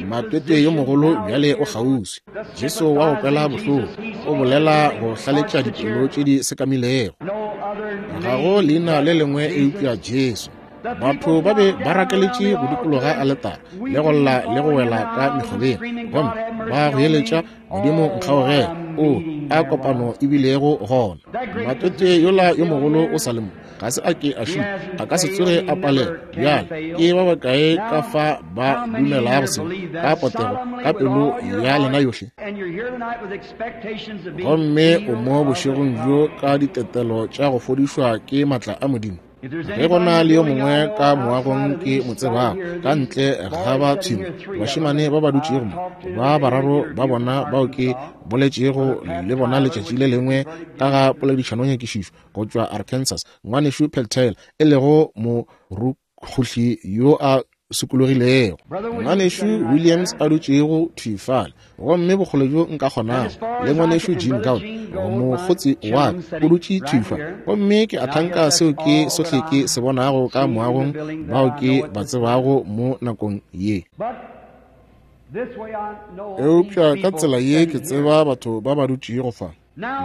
Matwetwe yo mogolo bjale o kgauswi. Jesu wa opela bohloko, o bolela go hlaletša dipelo tše di sekamilego. Ga go leina le lengwe eupša Jesu. Batho ba be ba rakeletše go dikologa aletara le go lla le go wela ka mekgobeng, gomme ba goeletša, Modimo nkgaogele. O a kopano e bilego gona. Matwetwe yola yo mogolo o sa le mo, ga se a ke a šupa, a ka se tsoge a palela. Bjale ke ba bakae ka fa ba dumelago seo ka potego ka pelo ya lena yohle? Gomme o mo bošegong bjo ka ditetelo tša go fodišwa ke matla a Modimo. Ge go na le yo mongwe ka moagong ke mo tsebago, ka ntle ga ba tshimo, bašemane ba ba dutšego mo, ba bararo ba bona bao ke boletšego le bona letšatši le lengwe ka ga poledišanonyakišišo go tšwa Arkansas, ngwanešu Peltail, e lego morukhuhli yo a sokologilego, ngwanešu Williams a dutšego thwi fale, gomme bokgole bjo nka kgonago, le ngwanešu Jean Gould, mokgotsi wa ka, o dutše thwi fa. Gomme ke a thanka seo ke sohle ke se bonago ka moagong bao ke ba tsebago mo nakong ye. Eupša ka tsela ye ke tseba batho ba ba dutšego fa.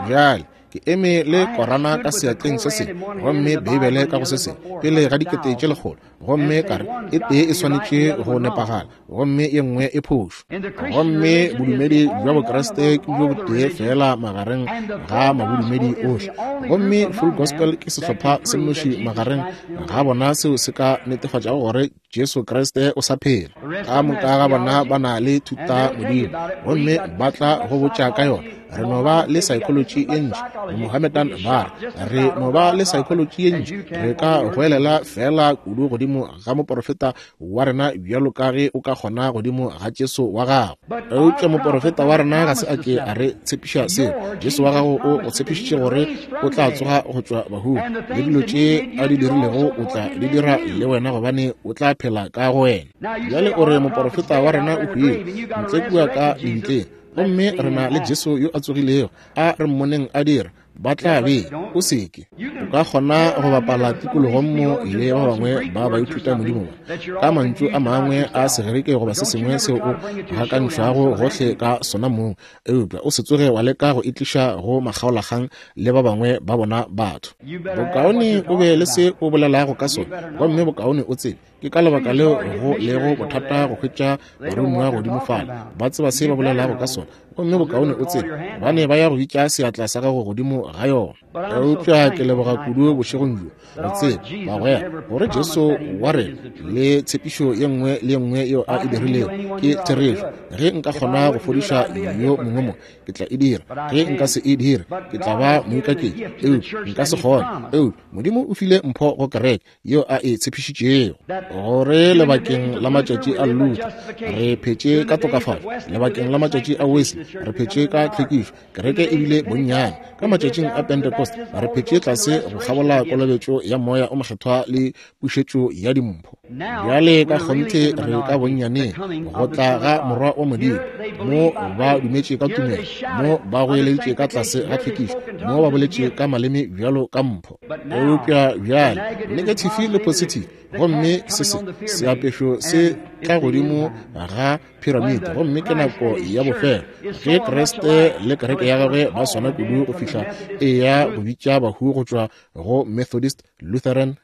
Bjale ke eme le Korana ka seatleng se sengwe, gomme Beibele ka go se sengwe, pele ga dikete tše lekgolo, gomme ka re e tee e swanetše go nepagala, gomme ye nngwe e phošo. Gomme bodumedi bja Bokreste ke bjo botee fela magareng ga mabodumedi ohle, gomme Full Gospel ke sehlopha se nnoši magareng ga bona seo se ka netefatšago gore Jesu Kriste o sa phela. Ka moka ga bona ba na le thuta modimo, gomme ba tla go botša ka yona. Re no ba le psychology ye ntši, Mohammedan ba re no ba le psychology ye ntši. Re ka goelela fela kudu godimo ga moporofeta wa rena bjalo ka ge o ka kgona godimo ga Jesu wa gago. Eupša moporofeta wa rena ga se a ke a re tshepiša seo. Jesu wa gago o go tshepišitše gore o tla tsoga go tšwa bahung, le dilo tše a di dirilego o tla di dira le wena, gobane o tla phela ka go wena. Bjale o re moporofeta wa rena o hwile ntle kua ka lebitleng, gomme re na le Jesu yo a tsogilego, a re mmoneng a dira. Ba tla be o seke o ka kgona go bapala tikologong mo le ba bangwe ba ba ithuta modimo ba ka mantšu a mangwe a Segerike goba se sengwe seo o gakantšhwago gohle ka sona mong, eupša o se tsoge wa leka go itliša go makgaolakgang le ba bangwe ba bona batho. Bokaone o be le se o bolelago ka sona, gomme bokaone o tsebe. Ke ka lebaka leo go lego bothata go hwetša baromiwa godimo fale, ba tseba se ba bolelago ka sona, gomme bokaone o tsebe, gobane ba ya go bitša seatla sa gago godimo ga yona. Eupša ke leboga kudu bošegong bjo go tseba, bagwera, gore Jesu wa rena le tshepišo ye nngwe le ye nngwe yeo a e dirilego ke therešo. Ge nka kgona go fodiša yo mongwe mo, ke tla e dira. Ge nka se e dire, ke tla ba moikaketši. Eupša nka se kgone. Eupša Modimo o file mpho go kereke yeo a e tshepišitšego, gore lebakeng la matšatši a Luther re phetše ka tokafalo, lebakeng la matšatši a Wesley re phetše ka tlhwekišo, kereke e bile bonnyane. Ka matšatšing a Pentecost re phetše tlase go kgabola kolobetšo ya moya o mokgethwa le pušetšo ya dimpho. Bjale ka kgonthe re ka bonnyaneng go tla ga Morwa wa Modimo. Mo ba dumetše ka tumelo, mo ba goeleditše ka tlase ga tlhwekišo, mo ba boletše ka maleme bjalo ka mpho. Eupša bjale negative le positive, gomme se se seapešo se tla godimo ga piramide, gomme ke nako ya bofelo ge Kriste le kereke ya gagwe ba swana kudu go fihla e ya go bitša bahu go tšwa go Methodist, Lutheran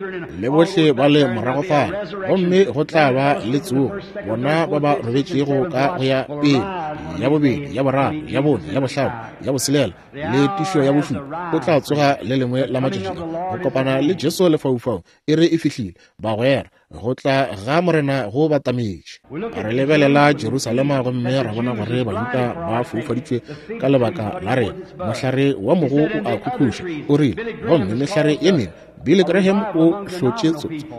le bohle ba le morago fale, gomme go tla ba le tsogo, bona ba ba robetšego ka go ya pele, ya bobedi, ya boraro, ya bone, ya bohlano, ya boselela le tišo ya bošupa. O tla tsoga le lengwe la matšatši a go kopana le Jesu lefaufaung. E re e fihlile, bagwera, go tla ga Morena go batametše. Re lebelela Jerusalema gomme ra bona gore Bajuda ba foufaditšwe ka lebaka la rena. Mohlare wa mogo o a khukhuša, o rile, gomme mehlare ye mengwe. Billy Graham o hlotše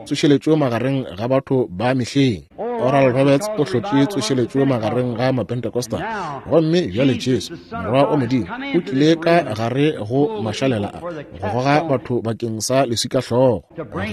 tsošeletšo magareng ga batho ba mehleng. Oral Roberts o hlotše tsošeletšo magareng ga Mapentecostal. Gomme bjale Jesu, Morwa wa Modimo, o tlile ka gare go mašalela a go goga batho bakeng sa leswikahlogo,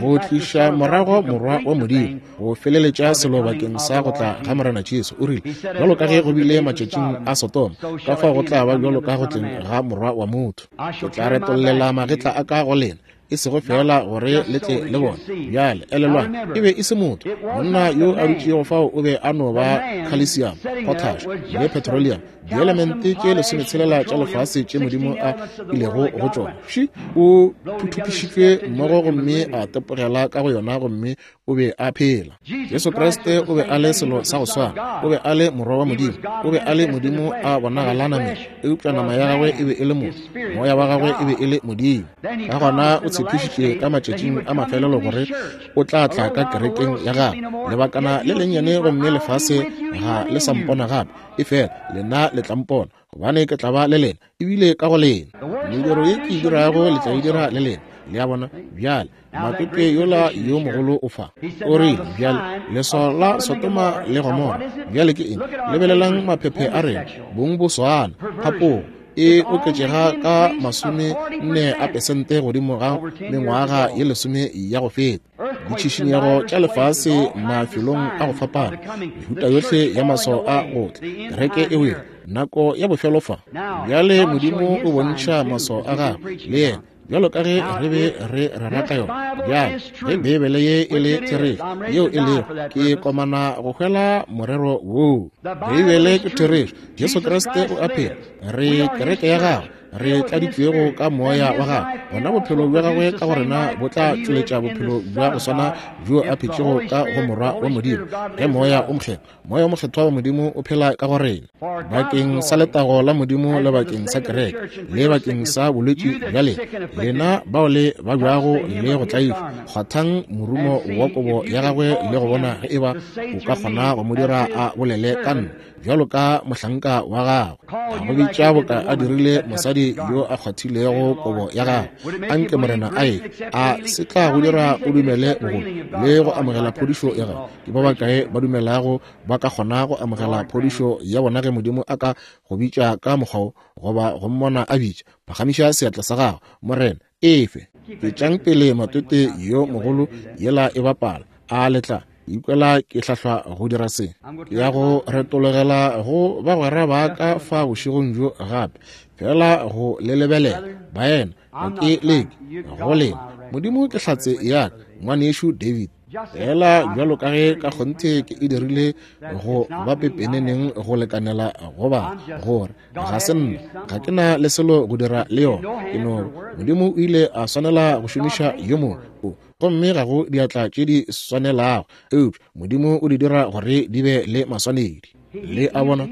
go tliša morago Morwa wa Modimo, go feleletša selo bakeng sa go tla ga Morena Jesu. O rile, bjalo ka ge go bile matšatšing a Sodoma, ka fao go tla ba bjalo ka go tleng ga Morwa wa motho. Ke tla retollela magetla a ka go lena, e sego fela gore le tle le bone. Bjale elelwang, e be e se motho. Monna yo a dutšego fao o be a no ba calcium, potash le petroleum, dielemente tše lesometshelela tša lefase tše Modimo a ilego go tšona. Ši o thuthupišitšwe mmogo gomme a tepogela ka go yona, gomme o be a phela. Jesu Kriste o be a le selo sa go swana. O be a le Morwa wa Modimo. O be a le Modimo a bonagala nameng, eupša nama ya gagwe e be e le motho, moya wa gagwe e be e le Modimo. Ka gona o tshepišitše ka matšatšing a mafelelo gore o tla tla ka kerekeng ya gagwe lebakana le lennyane, gomme lefase ga le sa mpona gape, efela lena le tla mpona, gobane ke tla ba le lena ebile ka go lena. Mediro ye ke e dirago le tla e dira le lena. Le a bona? Bjale matete yola yo mogolo o fa, o rile, bjale leswao la Sodoma le Gomora bjale ke eng? Lebelelang maphephe a rena, bong bo swana, phapogo e oketšega ka masome nne a pesente godimo ga mengwaga ye lesome ya go feta. Ditšhišinyego tša lefase mafelong a go fapana, mehuta yohle ya maswao a go tla, kereke e wele, nako ya bofelo fa. Bjale Modimo o bontšha maswao a gagwe le yena, bjalo ka ge re be re rera ka yona. Bjale ge Beibele ye e le therešo, yeo e lego, ke komana go hwela morero woo. Beibele ke therešo, Jesu Kriste o a phela, re kereke ya gagwe, re tladitšwego ka moya wa gagwe, gona bophelo bja gagwe ka go rena bo tla tšweletša bophelo bja go swana bjo a phetšego ka go Morwa wa Modimo. Ge Moya o Mokgethwa, Moya o Mokgethwa wa Modimo o phela ka go rena bakeng sa letago la Modimo le bakeng sa kereke le bakeng sa bolwetši bja lena, lena bao le babjago le go tlaišwa, kgwathang morumo wa kobo ya gagwe le go bona ge eba o ka kgona go mo dira a bolele ka nna bjalo ka mohlanka wa gagwe. A go bitša boka a dirile mosadi yo a kgwathilego kobo ya gagwe. Anke Morena a e a se tla go dira o dumele bogolo le go amogela phodišo ya gagwe. Ke ba bakae ba dumelago ba ka kgona go amogela phodišo ya bona ge Modimo a ka go bitša ka mokgwa wo, goba go mmona a bitša? Phagamiša seatla sa gago. Morena, efe tšwetšang pele matwete yo mogolo yela e bapala. A le tla ikwela ke hlahlwa go dira se? Ke ya go retologela go bagwera ba ka fa bošegong bjo gape, fela go le lebelela baena, ga ke leke go lena. Modimo ke hlatse ya ka, ngwanešu David. Fela bjalo ka ge ka kgonthe ke e dirile go ba pepeneneng go lekanela go ba gore ga se nna, ga ke na le selo go dira le yona. Ke no Modimo o ile a swanela go šomiša yo mongwe, gomme ga go diatla tše di swanelago, eupša Modimo o di dira gore di be le maswanedi. Le a bona,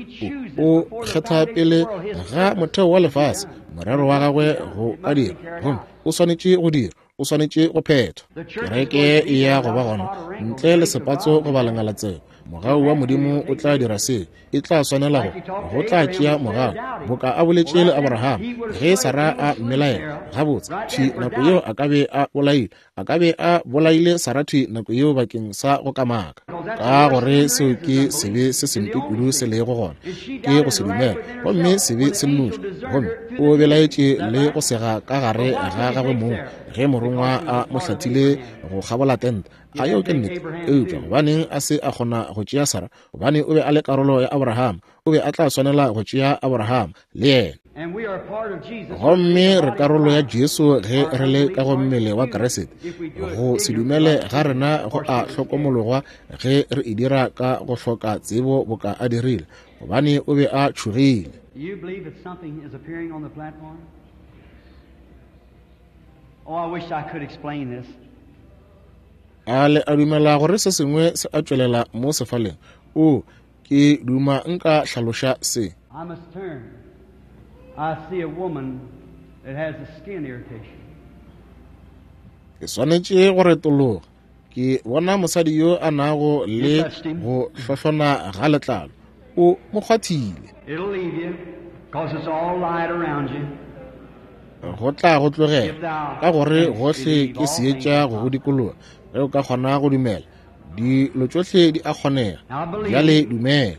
o kgetha pele ga motheo wa lefase morero wa gagwe go ka dira, gomme o swanetše go dira, o swanetše go phethwa. Kereke e ya go ba gona ntle le sepatso goba lengalatsego. Mogau wa Modimo o tla dira se, e tla swanela go go tla tšea mogau, boka a boletše le Abraham ge Sara a mmelaela. Gabotse thwi nako yeo a ka be a bolaile, a ka be a bolaile Sara thwi nako yeo bakeng sa go kamaka, ka gore seo ke sebe se sempe kudu se lego gona, ke go se dumela, gomme sebe se nnoši. Gomme o belaetše le go sega ka gare ga gagwe mong ge morongwa a mo hlathile go kgabola tente. A yeo ke nnete? Eupša gobaneng a se a kgona go tšea Sara? Gobane o be a le karolo ya Abraham, o be a tla swanela go tšea Abraham le yena. Gomme re karolo ya Jesu ge re le ka go mmele wa Kriste. Go se dumele ga rena go a hlokomologwa ge re e dira ka go hloka tsebo boka a dirile, gobane o be a tšhogile. Oh, I wish I could explain this. A le a dumela gore se sengwe se a tšwelela mo sefaleng? O, ke duma nka hlaloša se. I must turn. I see a woman that has a skin irritation. Ke swanetše go retologa. Ke bona mosadi yo a nago le go hlohlona ga letlalo. O mo kgwathile. It'll leave you, 'cause it's all light around you. Go tla go tlogela, ka gore gohle ke seetša go go dikologa. Ge o ka kgona go dumela, dilo tšohle di a kgonega. Bjale dumela.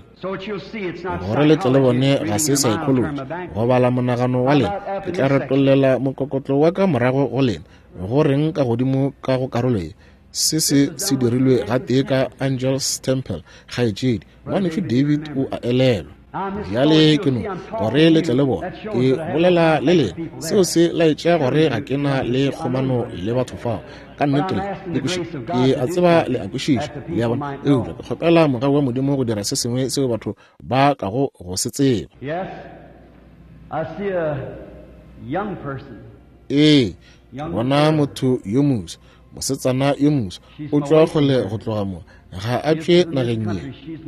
Gore le tle le bone ga se psychology, go bala monagano wa lena. Ke tla retollela mokokotlo wa ka morago go lena. Go reng ka godimo ka go karolo ye? Se se se dirilwe gatee ka Angels Temple, kgaetšedi ngwanešu David o a elelwa. Bjale ke no gore le tle le bone ke bolela le lena, seo se laetša gore ga ke na le kgomano le batho fao. Ka nnete le kwešiša, ke a tseba le a kwešiša, le a bona. Eupša ke kgopela mogau wa Modimo go dira se sengwe seo batho ba kago go se tseba. Ee, ke bona motho yo moswa, mosetsana yo moswa, o tšwa kgole go tloga mo. Ga a tšwe nageng ye,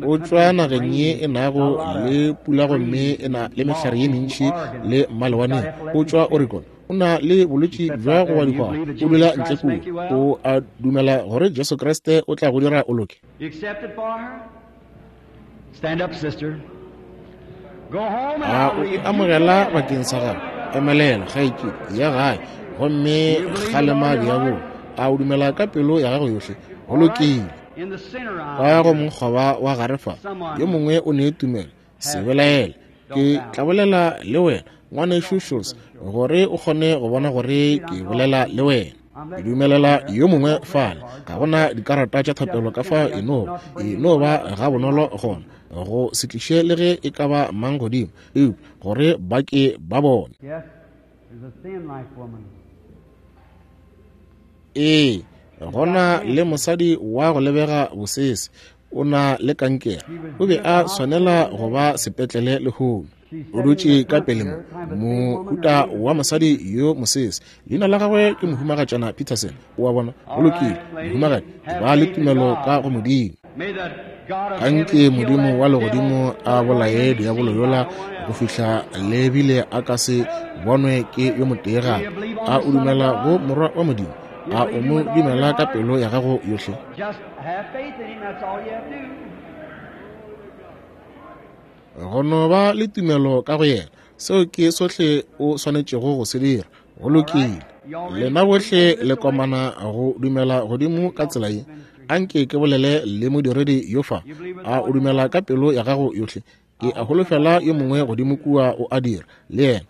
o tšwa nageng ye e nago le pula gomme e na le mehlare ye mentši le malewaneng. O tšwa Oregon, o na le bolwetši bja go ba dihwao, o dula ntle kua. O a dumela gore Jesu Kriste o tla go dira o loke? A o e amogela bakeng sa gago? Emelela, kgaetšedi, ya gae gomme kgalema diabolo. A o dumela ka pelo ya gago yohle? Go lokile. Ka go mokgoba wa gare fa, yo mongwe o ne tumelo. Se belaele, ke tla bolela le wena, ngwanešu Schultz, gore o kgone go bona gore ke bolela le wena. Ke dumelela yo mongwe fale. Ga gona dikarata tša thapelo ka fa, e no e no ba ga bonolo gona go se tliše le ge e ka ba mang godimo, eupša gore ba ke ba bone. Ee, gona le mosadi wa go lebega bosese, O na le kankere. O be a swanela go ba sepetlele lehono. O dutše ka pele mo, mohuta wa mosadi yo mosese. Leina la gagwe ke Mohumagatšana Peterson. O a bona? Go lokile, mohumagadi, ba le tumelo ka go Modimo. Anke Modimo wa legodimo a bolaye diabolo yola go fihla le bile a ka se bonwe ke yo motee gape. A o dumela go Morwa wa Modimo? A o mo dumela ka pelo ya gago yohle? Go no ba le tumelo ka go yena, seo ke sohle o swanetšego go se dira. Go lokile. Lena bohle le komana go dumela godimo ka tsela ye. Anke ke bolele le modiredi yo fa. A o dumela ka pelo ya gago yohle? Ke a holofela yo mongwe godimo kua o a dira le yena,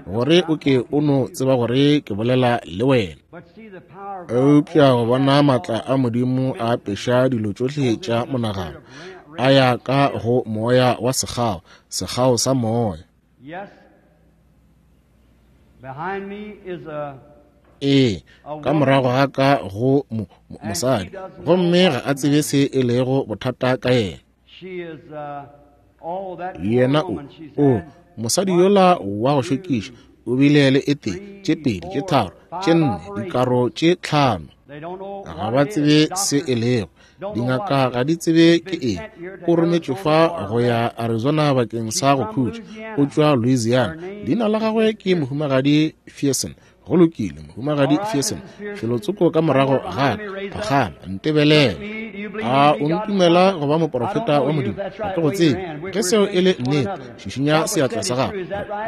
gore o ke o no tseba gore ke bolela le wena. Eupša go bona maatla a Modimo a apeša dilo tšohle tša monagano, a ya ka go moya wa sekgao, sekgao sa moya. Ee, ka morago ga ka go mo, mo, mosadi, gomme ga a tsebe se e lego bothata ka yena. Yena o, o, mosadi yola wa go šokiša, o bile le e tee, tše pedi, tše tharo, tše nne, dikaro tše tlhano. Ga ba tsebe se e lego. Dingaka ga di tsebe ke eng. O rometšwe fa go ya Arizona bakeng sa go khutša. O tšwa Louisiana. Leina la gagwe ke Mohumagadi Ferson. Go lokile, Mohumagadi Ferson. Felotsoko ka morago ga ka, phagama, ntebelele. A o ntumela go ba moporofeta wa Modimo? Ga ke go tsebe. Ge seo e le nnete, šišinya seatla sa gago.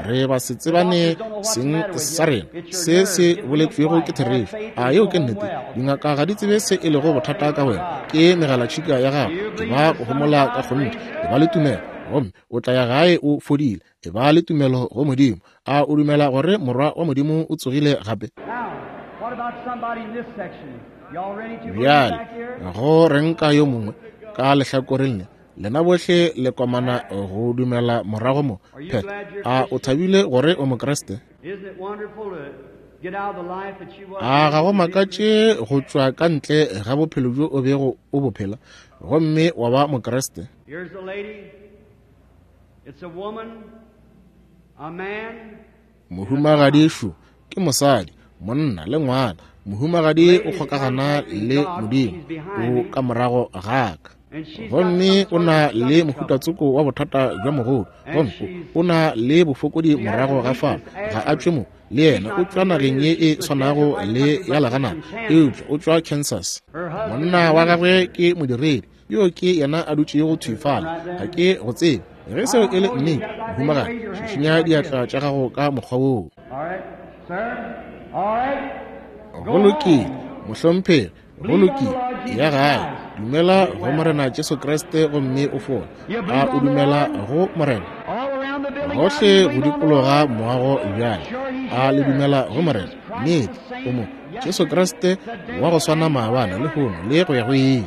Re ba se tsebane seng sa rena. Se se boletšwego ke therešo. A yeo ke nnete? Dingaka ga di tsebe se e lego bothata ka wena. Ke megalatšhika ya gago. E ba go homola ka kgonthe. E ba le tumelo, gomme o tla ya gae o fodile. E ba le tumelo go Modimo. A o dumela gore Morwa wa Modimo o tsogile gape? Bjale, go reng ka yo mongwe ka lehlakoreng le? Lena bohle le komana go dumela morago mo. Phet, a o thabile gore o Mokriste? A ga go makatše go tšwa ka ntle ga bophelo bjo o bego o bophela, gomme wa ba Mokriste? Mohumagadi šo ke mosadi, monna le ngwana. Mohumagadi o kgokagana le Modimo, o ka morago ga ka. Gomme o na le mohutatsoko wa bothata bja mogodu, gomme o na le bofokodi morago ga fao. Ga a tšwe mo, le yena o tšwa nageng ye e swanago le ya leganana, eupša o tšwa Kansas. Monna wa gagwe ke modiredi, yo ke yena a dutšego thwi fale. Ga ke go tsebe. Ge seo e le nnete, mohumagadi, šišinya diatla tša gago ka mokgwa woo. Go lokile, mohlomphegi, go lokile. Ya gae, dumela go Morena Jesu Kriste gomme o fole. A o dumela go Morena? Gohle go dikologa moago bjale. A le dumela go Morena? Nnete, o mo. Jesu Kriste wa go swana maabane, lehono le go ya go ile.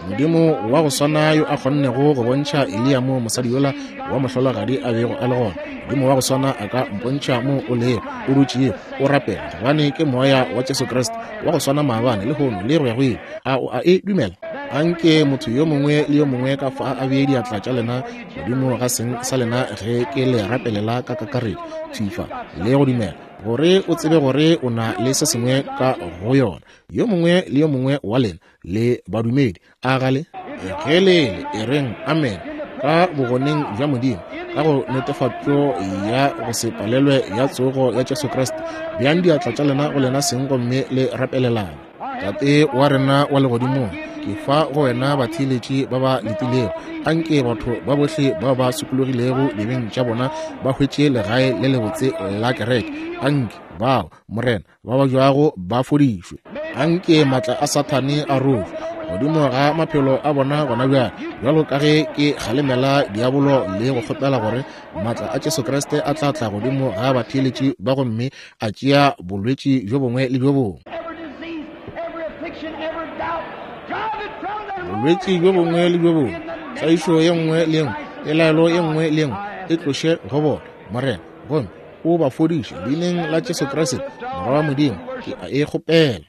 Modimo wa go swana yo a kgonnego go bontšha Eliya mo mosadi yola wa mohlologadi a bego a le gona, Modimo wa go swana a ka mpontšha mo o lego, o dutšego, o rapela, gobane ke moya wa Jesu Kriste wa go swana maabane, lehono le go ya go ile. A o a e dumela? Anke motho yo mongwe le yo mongwe ka fa a bee diatla tša lena godimo ga seng sa lena ge ke le rapelela ka kakaretšo, thifa le go dumela, gore o tsebe gore o na le se sengwe ka go yona. Yo mongwe le yo mongwe wa lena le badumedi, a gale ge le le e reng amen ka bogoneng bja Modimo, ka go netefatšo ya go se palelwe ya tsogo ya Jesu Kriste. Beang diatla tša lena go lena seng gomme le rapelelana. Tate wa rena wa legodimong, ke fa go wena batheeletši ba ba letilego. Anke batho ba bohle ba ba sokologilego dibeng tša bona ba hwetše legae le lebotse la kereke. Anke bao, Morena, ba ba jwago ba fodišwe. Anke maatla a Sathane a rojwe godimo ga maphelo a bona gona bjale, bjalo ka ge ke kgalemela diabolo le go kgopela gore maatla a Jesu Kriste a tla tla godimo ga batheeletši ba gomme a tšea bolwetši bjo bongwe le bjo bongwe. Bolwetši bjo bongwe le bjo bongwe, tlaišo ye nngwe le nngwe, pelaelo ye nngwe le nngwe e tloše go bona, Morena, gomme o ba fodiše leineng la Jesu Kriste, Morwa wa Modimo. Ke a e kgopela.